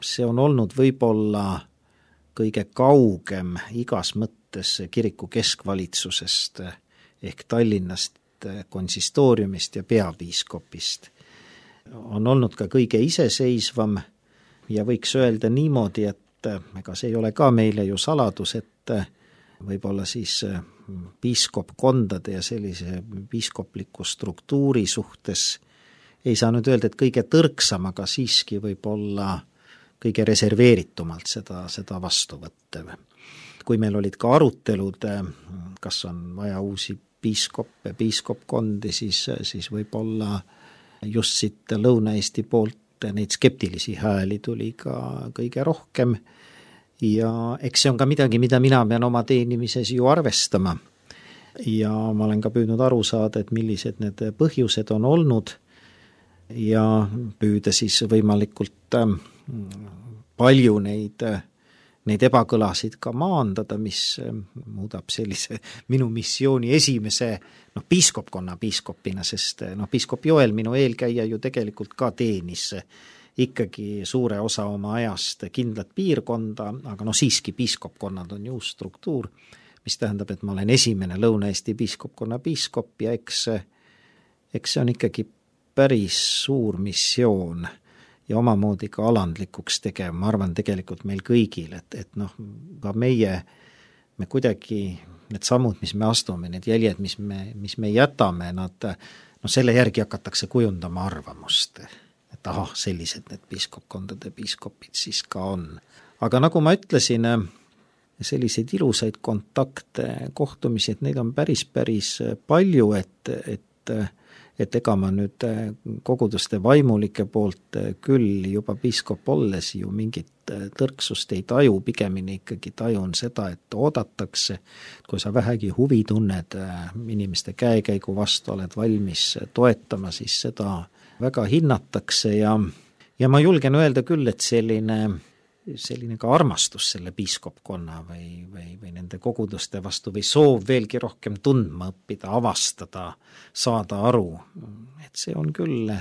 see on olnud võib-olla kõige kaugem igas mõttes kiriku keskvalitsusest ehk Tallinnast, konsistooriumist ja peapiiskopist. On olnud ka kõige iseseisvam ja võiks öelda niimoodi, et ega see ei ole ka meile ju saladus, et võib-olla siis piiskopkondade ja sellise piiskopliku struktuuri suhtes ei saa nüüd öelda, et kõige tõrksam, aga siiski võib-olla kõige reserveeritumalt seda, seda vastu võttev. Kui meil olid ka arutelud, kas on vaja uusi piiskoppe, piiskopkondi, siis, siis võib-olla just siit Lõuna-Eesti poolt neid skeptilisi hääli tuli ka kõige rohkem ja eks see on ka midagi, mida mina pean oma teenimises ju arvestama. Ja ma olen ka püüdnud aru saada, et millised need põhjused on olnud ja püüda siis võimalikult palju neid, neid ebakõlasid ka maandada, mis muudab sellise minu missiooni esimese noh, piiskopkonna piiskopina, sest noh, piiskop Joel, minu eelkäija ju tegelikult ka teenis ikkagi suure osa oma ajast kindlat piirkonda, aga no siiski piiskopkonnad on ju uus struktuur, mis tähendab, et ma olen esimene Lõuna-Eesti piiskopkonna piiskop ja eks, eks see on ikkagi päris suur missioon ja omamoodi ka alandlikuks tegev, ma arvan tegelikult meil kõigil, et, et noh, ka meie, me kuidagi need sammud, mis me astume, need jäljed, mis me, mis me jätame, nad, no selle järgi hakatakse kujundama arvamust, et ahah, sellised need piiskopkondade piiskopid siis ka on. Aga nagu ma ütlesin, selliseid ilusaid kontakte, kohtumisi, et neid on päris, päris palju, et, et et ega ma nüüd koguduste vaimulike poolt küll juba piiskop olles ju mingit tõrksust ei taju, pigemini ikkagi tajun seda, et oodatakse, kui sa vähegi huvi tunned inimeste käekäigu vastu, oled valmis toetama, siis seda väga hinnatakse ja, ja ma julgen öelda küll, et selline selline ka armastus selle piiskopkonna või, või, või nende koguduste vastu või soov veelgi rohkem tundma õppida, avastada, saada aru, et see on küll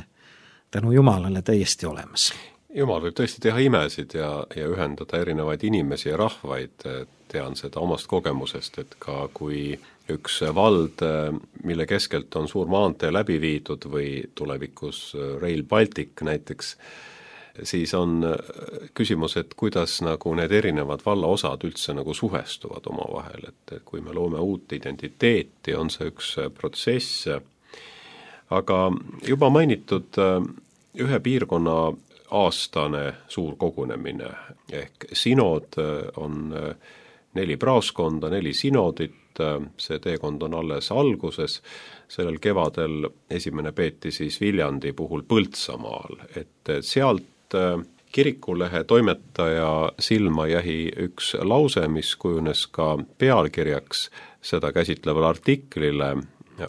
tänu Jumalale täiesti olemas. Jumal võib tõesti teha imesid ja, ja ühendada erinevaid inimesi ja rahvaid, tean seda omast kogemusest, et ka kui üks vald, mille keskelt on suur maantee läbi viidud või tulevikus Rail Baltic näiteks, siis on küsimus, et kuidas nagu need erinevad vallaosad üldse nagu suhestuvad omavahel, et kui me loome uut identiteeti, on see üks protsess, aga juba mainitud ühe piirkonna aastane suur kogunemine ehk sinod on neli praoskonda, neli sinodit, see teekond on alles alguses, sellel kevadel esimene peeti siis Viljandi puhul Põltsamaal, et sealt kirikulehe toimetaja silma jäi üks lause, mis kujunes ka pealkirjaks seda käsitlevale artiklile,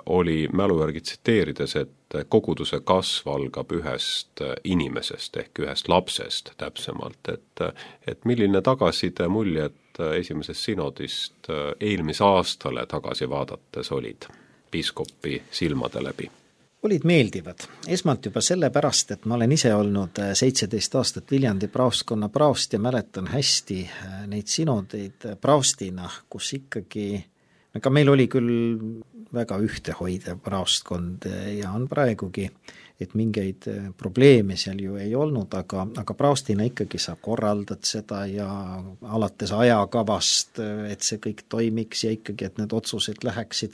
oli mälu järgi tsiteerides, et koguduse kasv algab ühest inimesest ehk ühest lapsest täpsemalt, et, et milline tagasiside muljed esimesest sinodist eelmise aastale tagasi vaadates olid piiskopi silmade läbi? Olid meeldivad. Esmalt juba sellepärast, et ma olen ise olnud seitseteist aastat Viljandi praostkonna praost ja mäletan hästi neid sinodeid praostina, kus ikkagi, aga meil oli küll väga ühtehoidev praostkond ja on praegugi, et mingeid probleeme seal ju ei olnud, aga, aga praostina ikkagi sa korraldad seda ja alates ajakavast, et see kõik toimiks ja ikkagi, et need otsused läheksid,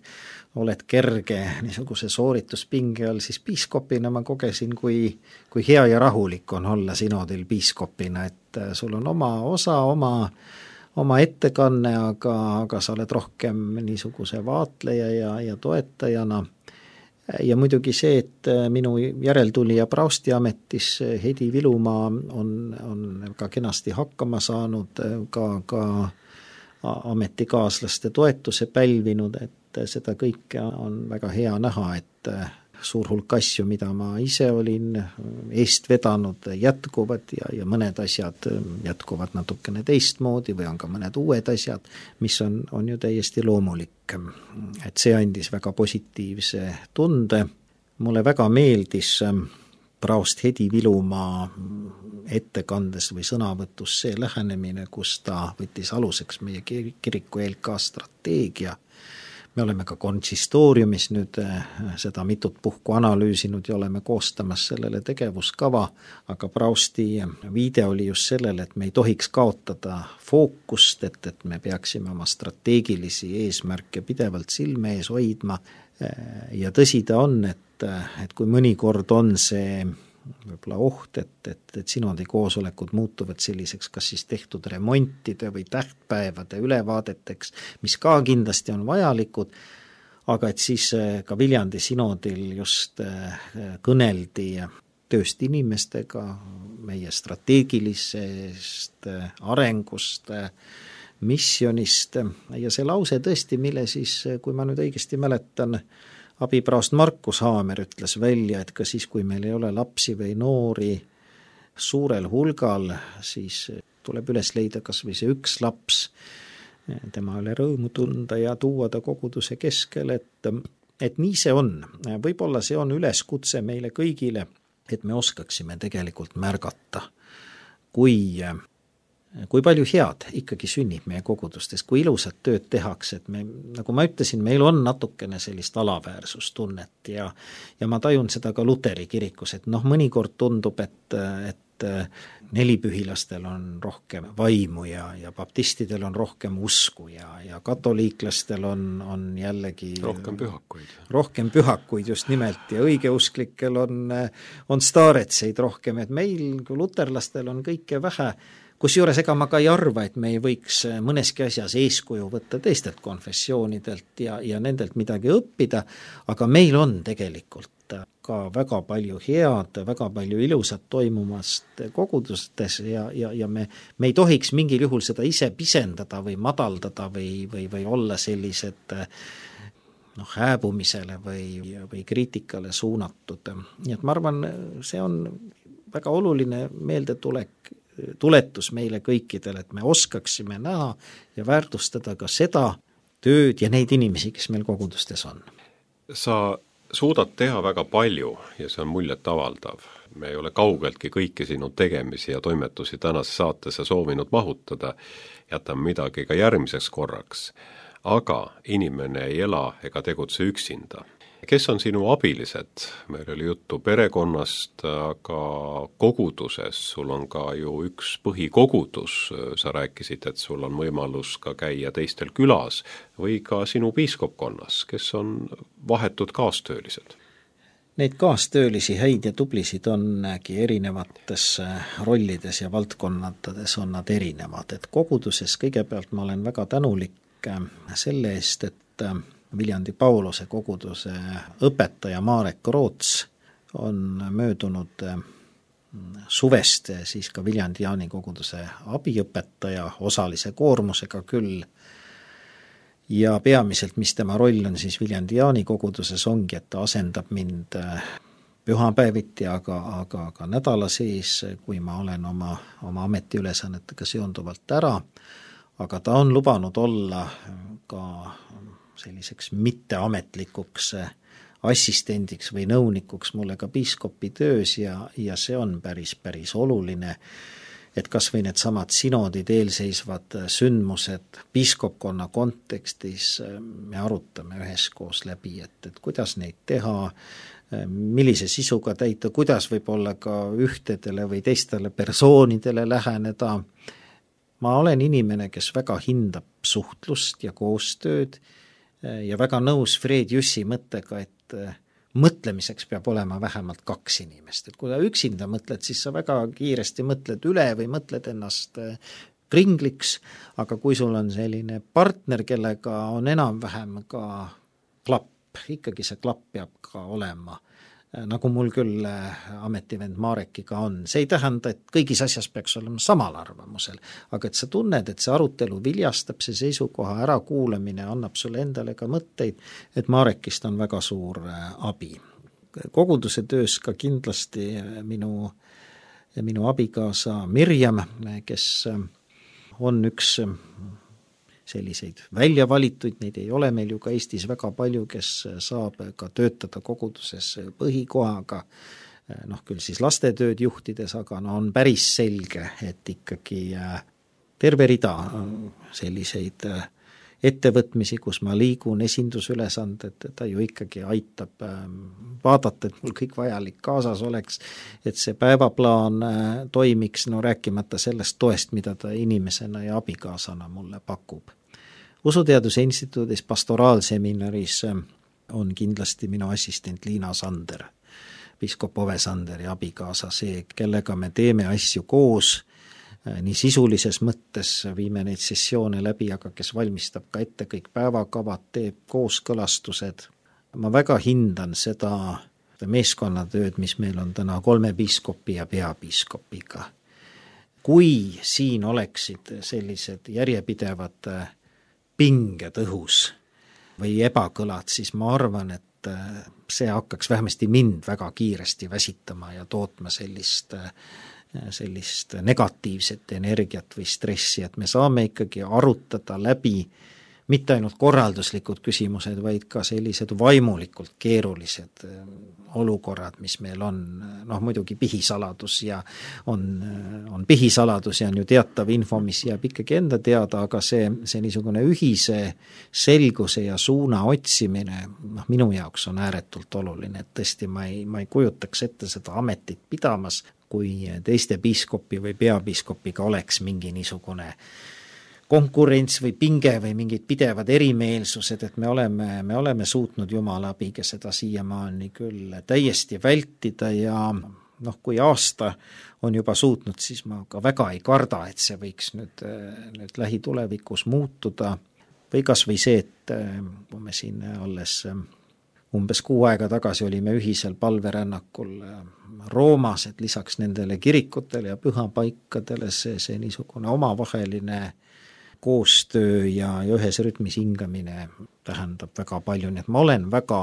oled kerge niisuguse soorituspinge all, siis piiskopina ma kogesin, kui, kui hea ja rahulik on olla sinodil piiskopina, et sul on oma osa, oma oma ettekanne, aga, aga sa oled rohkem niisuguse vaatleja ja, ja toetajana. Ja muidugi see, et minu järeltulija praostiametis Hedi Vilumaa on, on ka kenasti hakkama saanud, ka, ka ametikaaslaste toetuse pälvinud, et seda kõike on väga hea näha, et suur hulk asju, mida ma ise olin eest vedanud, jätkuvad ja, ja mõned asjad jätkuvad natukene teistmoodi või on ka mõned uued asjad, mis on, on ju täiesti loomulik. Et see andis väga positiivse tunde. Mulle väga meeldis praost Hedi Vilumaa ettekandes või sõnavõtus see lähenemine, kus ta võttis aluseks meie kiriku E L K strateegia. Me oleme ka konsistooriumis nüüd seda mitut puhku analüüsinud ja oleme koostamas sellele tegevuskava, aga praosti viide oli just sellele, et me ei tohiks kaotada fookust, et, et me peaksime oma strateegilisi eesmärke pidevalt silme ees hoidma. Ja tõsi ta on, et, et kui mõnikord on see võib-olla oht, et, et, et sinodi koosolekud muutuvad selliseks kas siis tehtud remontide või tähtpäevade ülevaadeteks, mis ka kindlasti on vajalikud, aga et siis ka Viljandi sinodil just kõneldi tööst inimestega, meie strateegilisest arengust, missionist ja see lause tõesti, mille siis, kui ma nüüd õigesti mäletan, abipraost Markus Haamer ütles välja, et ka siis, kui meil ei ole lapsi või noori suurel hulgal, siis tuleb üles leida kas või see üks laps, tema üle rõõmu tunda ja tuua ta koguduse keskel, et, et nii see on. Võib-olla see on üleskutse meile kõigile, et me oskaksime tegelikult märgata, kui kui palju head ikkagi sünnib meie kogudustes, kui ilusat tööd tehakse, et me, nagu ma ütlesin, meil on natukene sellist alaväärsustunnet ja, ja ma tajun seda ka Luteri kirikus, et noh, mõnikord tundub, et, et nelipühilastel on rohkem vaimu ja, ja baptistidel on rohkem usku ja, ja katoliiklastel on, on jällegi rohkem pühakuid. Rohkem pühakuid just nimelt ja õigeusklikel on, on staaretseid rohkem, et meil kui luterlastel on kõike vähe. Kusjuures ega ma ka ei arva, et me ei võiks mõneski asjas eeskuju võtta teistelt konfessioonidelt ja, ja nendelt midagi õppida, aga meil on tegelikult ka väga palju head, väga palju ilusat toimumast kogudustes ja, ja, ja me, me ei tohiks mingil juhul seda ise pisendada või madaldada või, või, või olla sellised noh, hääbumisele või, või kriitikale suunatud. Nii et ma arvan, see on väga oluline meeldetulek tuletus meile kõikidele, et me oskaksime näha ja väärtustada ka seda tööd ja neid inimesi, kes meil kogudustes on. Sa suudad teha väga palju ja see on muljet avaldav. Me ei ole kaugeltki kõiki sinu tegemisi ja toimetusi tänase saatesse soovinud mahutada, jätame midagi ka järgmiseks korraks. Aga inimene ei ela ega tegutse üksinda. kes on sinu abilised? Meil oli juttu perekonnast, aga koguduses sul on ka ju üks põhikogudus, sa rääkisid, et sul on võimalus ka käia teistel külas või ka sinu piiskopkonnas, kes on vahetud kaastöölised? Neid kaastöölisi häid ja tublisid ongi erinevates rollides ja valdkonnades on nad erinevad, et koguduses kõigepealt ma olen väga tänulik selle eest, et Viljandi Pauluse koguduse õpetaja Marek Roots on möödunud suvest siis ka Viljandi Jaani koguduse abiõpetaja osalise koormusega küll. Ja peamiselt, mis tema roll on siis Viljandi Jaani koguduses ongi, et ta asendab mind pühapäeviti, aga, aga, aga nädala sees, kui ma olen oma, oma ametiülesannetega seonduvalt ära, aga ta on lubanud olla ka selliseks mitteametlikuks assistendiks või nõunikuks mulle ka piiskopi töös ja, ja see on päris, päris oluline, et kas või need samad sinodid, eelseisvad sündmused piiskopkonna kontekstis me arutame üheskoos läbi, et, et kuidas neid teha, millise sisuga täita, kuidas võib-olla ka ühtedele või teistele persoonidele läheneda. Ma olen inimene, kes väga hindab suhtlust ja koostööd ja väga nõus Fred Jüssi mõttega, et mõtlemiseks peab olema vähemalt kaks inimest. Et kui sa üksinda mõtled, siis sa väga kiiresti mõtled üle või mõtled ennast kringliks, aga kui sul on selline partner, kellega on enam-vähem ka klapp, ikkagi see klapp peab ka olema, nagu mul küll ametivend Marekiga on. See ei tähenda, et kõigis asjas peaks olema samal arvamusel, aga et sa tunned, et see arutelu viljastab, see seisukoha ärakuulamine annab sulle endale ka mõtteid, et Marekist on väga suur abi. Koguduse töös ka kindlasti minu, minu abikaasa Mirjam, kes on üks selliseid välja valituid, neid ei ole meil ju ka Eestis väga palju, kes saab ka töötada koguduses põhikohaga, noh küll siis lastetööd juhtides, aga no on päris selge, et ikkagi terve rida selliseid ettevõtmisi, kus ma liigun esindusülesanded, ta ju ikkagi aitab vaadata, et mul kõik vajalik kaasas oleks, et see päevaplaan toimiks, no rääkimata sellest toest, mida ta inimesena ja abikaasana mulle pakub. Usuteaduse instituudis pastoraalseminaris on kindlasti minu assistent Liina Sander, piiskop Ove Sanderi abikaasa, see, kellega me teeme asju koos, nii sisulises mõttes viime neid sessioone läbi, aga kes valmistab ka ette kõik päevakavad, teeb kooskõlastused. Ma väga hindan seda meeskonnatööd, mis meil on täna kolme piiskopi ja peapiiskopiga. Kui siin oleksid sellised järjepidevad pinged õhus või ebakõlad, siis ma arvan, et see hakkaks vähemasti mind väga kiiresti väsitama ja tootma sellist sellist negatiivset energiat või stressi, et me saame ikkagi arutada läbi mitte ainult korralduslikud küsimused, vaid ka sellised vaimulikult keerulised olukorrad, mis meil on, noh muidugi pihisaladus ja on, on pihisaladus ja on ju teatav info, mis jääb ikkagi enda teada, aga see, see niisugune ühise selguse ja suuna otsimine, noh minu jaoks on ääretult oluline, et tõesti ma ei, ma ei kujutaks ette seda ametit pidamas, kui teiste piiskopi või peapiiskopiga oleks mingi niisugune konkurents või pinge või mingid pidevad erimeelsused, et me oleme, me oleme suutnud Jumala abiga seda siiamaani küll täiesti vältida ja noh, kui aasta on juba suutnud, siis ma ka väga ei karda, et see võiks nüüd, nüüd lähitulevikus muutuda või kas või see, et kui me siin alles umbes kuu aega tagasi olime ühisel palverännakul Roomas, et lisaks nendele kirikutele ja pühapaikadele see, see niisugune omavaheline koostöö ja, ja ühes rütmis hingamine tähendab väga palju, nii et ma olen väga,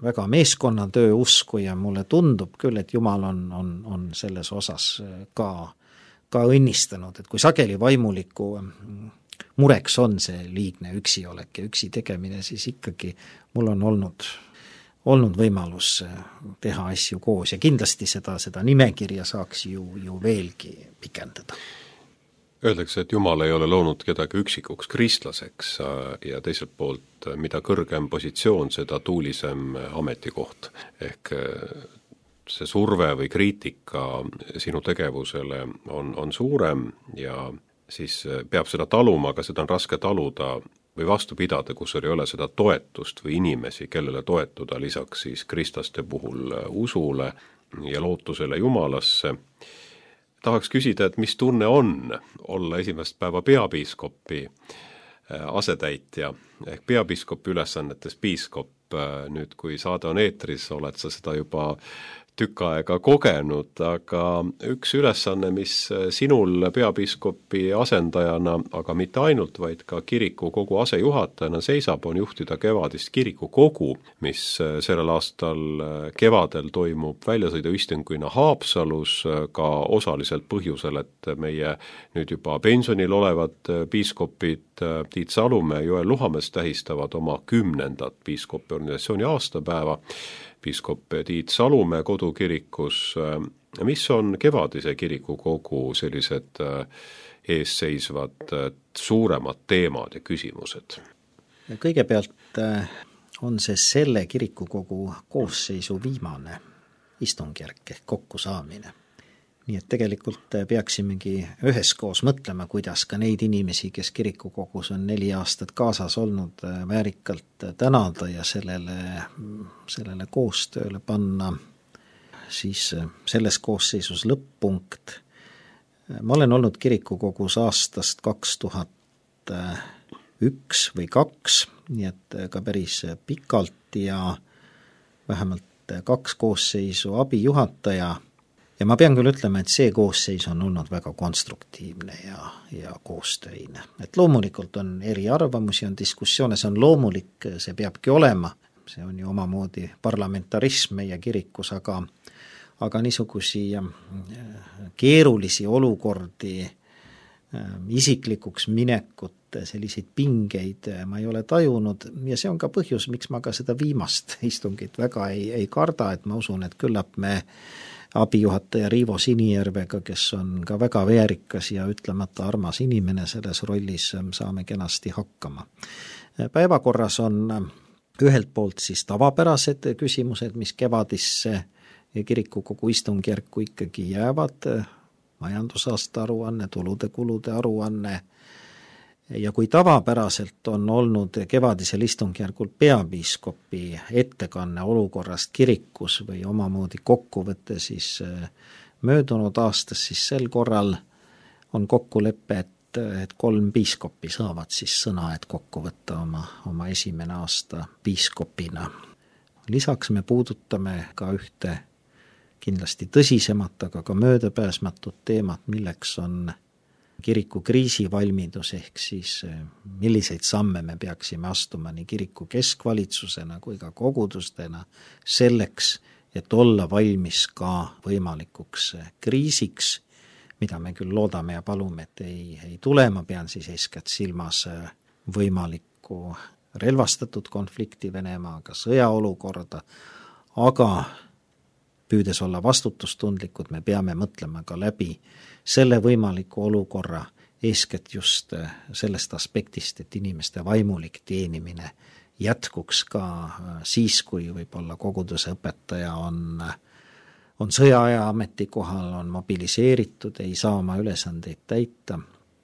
väga meeskonnatöö usku ja mulle tundub küll, et Jumal on, on, on selles osas ka, ka õnnistanud, et kui sageli vaimuliku mureks on see liigne üksiolek ja üksi tegemine, siis ikkagi mul on olnud, olnud võimalus teha asju koos ja kindlasti seda, seda nimekirja saaks ju, ju veelgi pikendada. Öeldakse, et Jumal ei ole loonud kedagi üksikuks kristlaseks ja teiselt poolt, mida kõrgem positsioon, seda tuulisem ametikoht. Ehk see surve või kriitika sinu tegevusele on, on suurem ja siis peab seda taluma, aga seda on raske taluda või vastu pidada, kus ei ole seda toetust või inimesi, kellele toetuda lisaks siis kristlaste puhul usule ja lootusele Jumalasse. Tahaks küsida, et mis tunne on olla esimest päeva peapiiskopi asetäitja ehk peapiiskopi ülesannetes piiskop. Nüüd, kui saade on eetris, oled sa seda juba tükk aega kogenud, aga üks ülesanne, mis sinul peapiiskopi asendajana, aga mitte ainult, vaid ka kiriku kogu asejuhatajana seisab, on juhtida kevadist kiriku kogu, mis sellel aastal kevadel toimub väljasõiduistunguina Haapsalus ka osaliselt põhjusel, et meie nüüd juba pensionil olevad piiskopid Tiit Salumäe ja Joel Luhamees tähistavad oma kümnendat piiskopi organisatsiooni aastapäeva. Piiskop Tiit Salumäe kodukirikus, mis on kevadise kiriku kogu sellised eesseisvad suuremad teemad ja küsimused? Kõigepealt on see selle kirikukogu koosseisu viimane istungjärk ehk kokkusaamine. Nii et tegelikult peaksimegi üheskoos mõtlema, kuidas ka neid inimesi, kes kirikukogus on neli aastat kaasas olnud, väärikalt tänada ja sellele, sellele koostööle panna siis selles koosseisus lõpp-punkt. Ma olen olnud kirikukogus aastast kaks tuhat üks või kaks, nii et ka päris pikalt ja vähemalt kaks koosseisu abijuhataja. Ja ma pean küll ütlema, et see koosseis on olnud väga konstruktiivne ja, ja koostöine. Et loomulikult on eri arvamusi, on diskussioone, see on loomulik, see peabki olema. See on ju omamoodi parlamentarism meie kirikus, aga, aga niisugusi keerulisi olukordi, isiklikuks minekut, selliseid pingeid ma ei ole tajunud ja see on ka põhjus, miks ma ka seda viimast istungit väga ei, ei karda, et ma usun, et küllap me abijuhataja Riivo Sinijärvega, kes on ka väga väärikas ja ütlemata armas inimene selles rollis, saame kenasti hakkama. Päevakorras on ühelt poolt siis tavapärased küsimused, mis kevadisse kirikukogu istungjärku ikkagi jäävad, majandusaasta aruanne, tulude-kulude aruanne, ja kui tavapäraselt on olnud kevadisel istungjärgul peapiiskopi ettekanne olukorrast kirikus või omamoodi kokkuvõte siis möödunud aastas, siis sel korral on kokkulepe, et, et kolm piiskopi saavad siis sõna, et kokku võtta oma, oma esimene aasta piiskopina. Lisaks me puudutame ka ühte kindlasti tõsisemat, aga ka möödapääsmatut teemat, milleks on kiriku kriisivalmidus ehk siis milliseid samme me peaksime astuma nii kiriku keskvalitsusena kui ka kogudustena selleks, et olla valmis ka võimalikuks kriisiks, mida me küll loodame ja palume, et ei, ei tule, ma pean siis eeskätt silmas võimalikku relvastatud konflikti Venemaaga, sõjaolukorda, aga püüdes olla vastutustundlikud, me peame mõtlema ka läbi selle võimaliku olukorra eeskätt just sellest aspektist, et inimeste vaimulik teenimine jätkuks ka siis, kui võib-olla koguduse õpetaja on, on sõjaaja ametikohal, on mobiliseeritud, ei saa oma ülesandeid täita,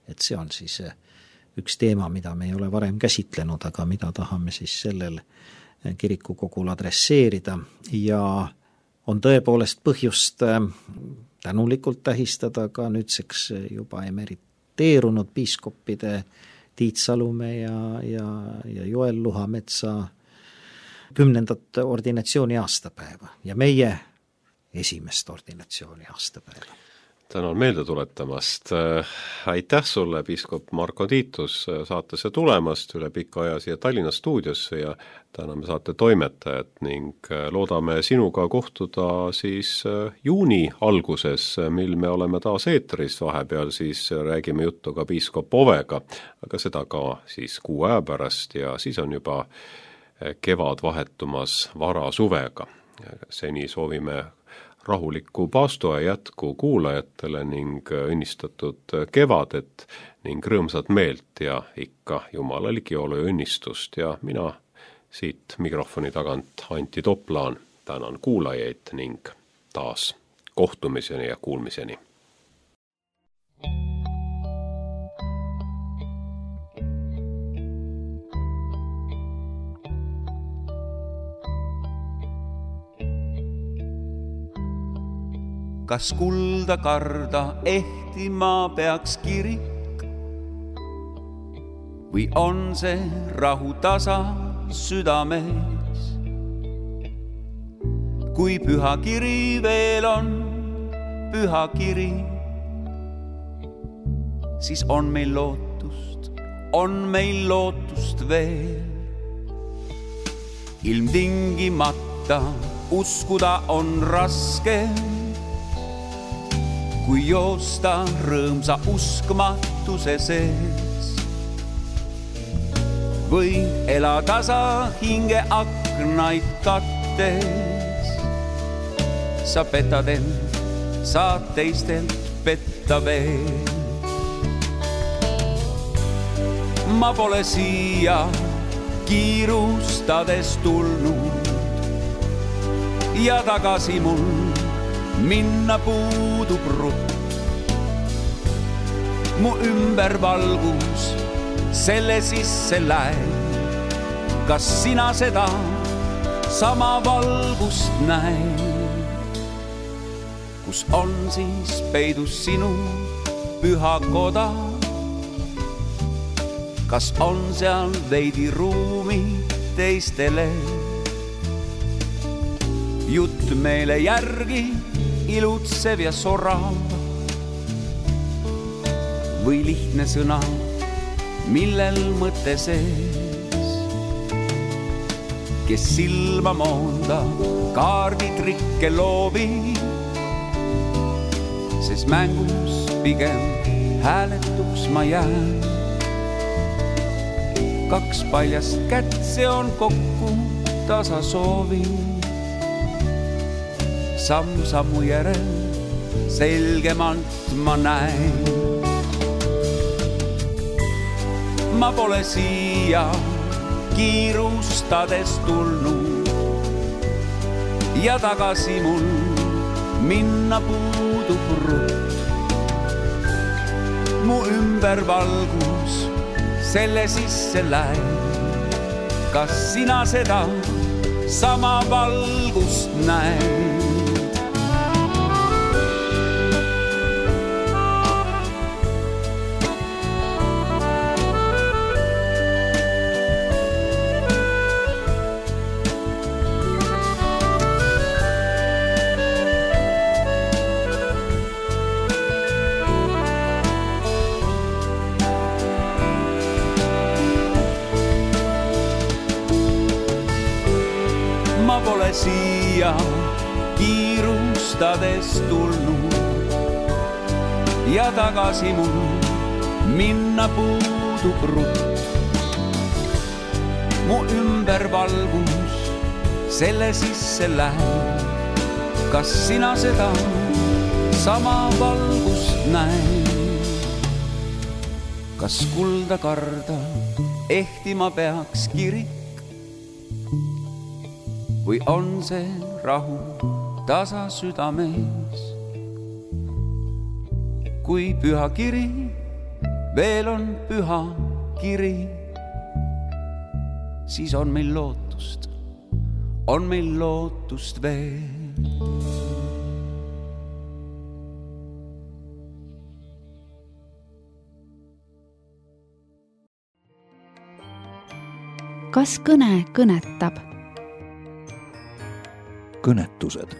et see on siis üks teema, mida me ei ole varem käsitlenud, aga mida tahame siis sellel kirikukogul adresseerida ja on tõepoolest põhjust tänulikult tähistada ka nüüdseks juba emeriteerunud piiskoppide Tiit Salumäe ja, ja, ja Joel Luhametsa kümnendat ordinatsiooni aastapäeva ja meie esimest ordinatsiooni aastapäeva. Tänan meelde tuletamast. Aitäh sulle, piiskop Marko Tiitus, saatesse tulemast üle pika aja siia Tallinna stuudiosse ja täname saate toimetajat ning loodame sinuga kohtuda siis juuni alguses, mil me oleme taas eetris, vahepeal siis räägime juttu ka piiskop Ovega, aga seda ka siis kuu aja pärast ja siis on juba kevad vahetumas vara suvega. Seni soovime rahulikku paastoaja jätku kuulajatele ning õnnistatud kevadet ning rõõmsat meelt ja ikka Jumala ligiolu ja õnnistust ja mina siit mikrofoni tagant Anti Toplaan tänan kuulajaid ning taas kohtumiseni ja kuulmiseni. Kas kulda karda ehtima peaks kirik või on see rahu tasa südames? Kui püha kiri veel on püha kiri, siis on meil lootust, on meil lootust veel. Ilmtingimata uskuda on raske, kui joosta rõõmsa uskmatuse sees. Või elada sa hinge aknaid kattes, sa petad end, saad teistelt petta veel. Ma pole siia kiirustades tulnud ja tagasi mul minna puudub rutt. Mu ümber valgus selle sisse läheb, kas sina seda sama valgust näed? Kus on siis peidus sinu püha koda? Kas on seal veidi ruumi teistele? Jutt meele järgi ilutsev ja sorav või lihtne sõna, millel mõte sees. Kes silma moonda kaarditrikke loobib, sest mängus pigem hääletuks ma jään. Kaks paljast kätt, see on kokku tasa soovi. Samm sammu järel selgemalt ma näen. Ma pole siia kiirustades tulnud ja tagasi mul minna puudub rutt. Mu ümber valgus selle sisse läheb, kas sina seda sama valgust näed? Ma pole siia kiirustades tulnud ja tagasi mul minna puudub rutt. Mu ümber valgus selle sisse läheb, kas sina seda sama valgust näed? Kas kulda karda ehtima peaks kirik või on see rahu tasa südames? Kui püha kiri veel on püha kiri, siis on meil lootust, on meil lootust veel. Kas kõne kõnetab? Kõnetused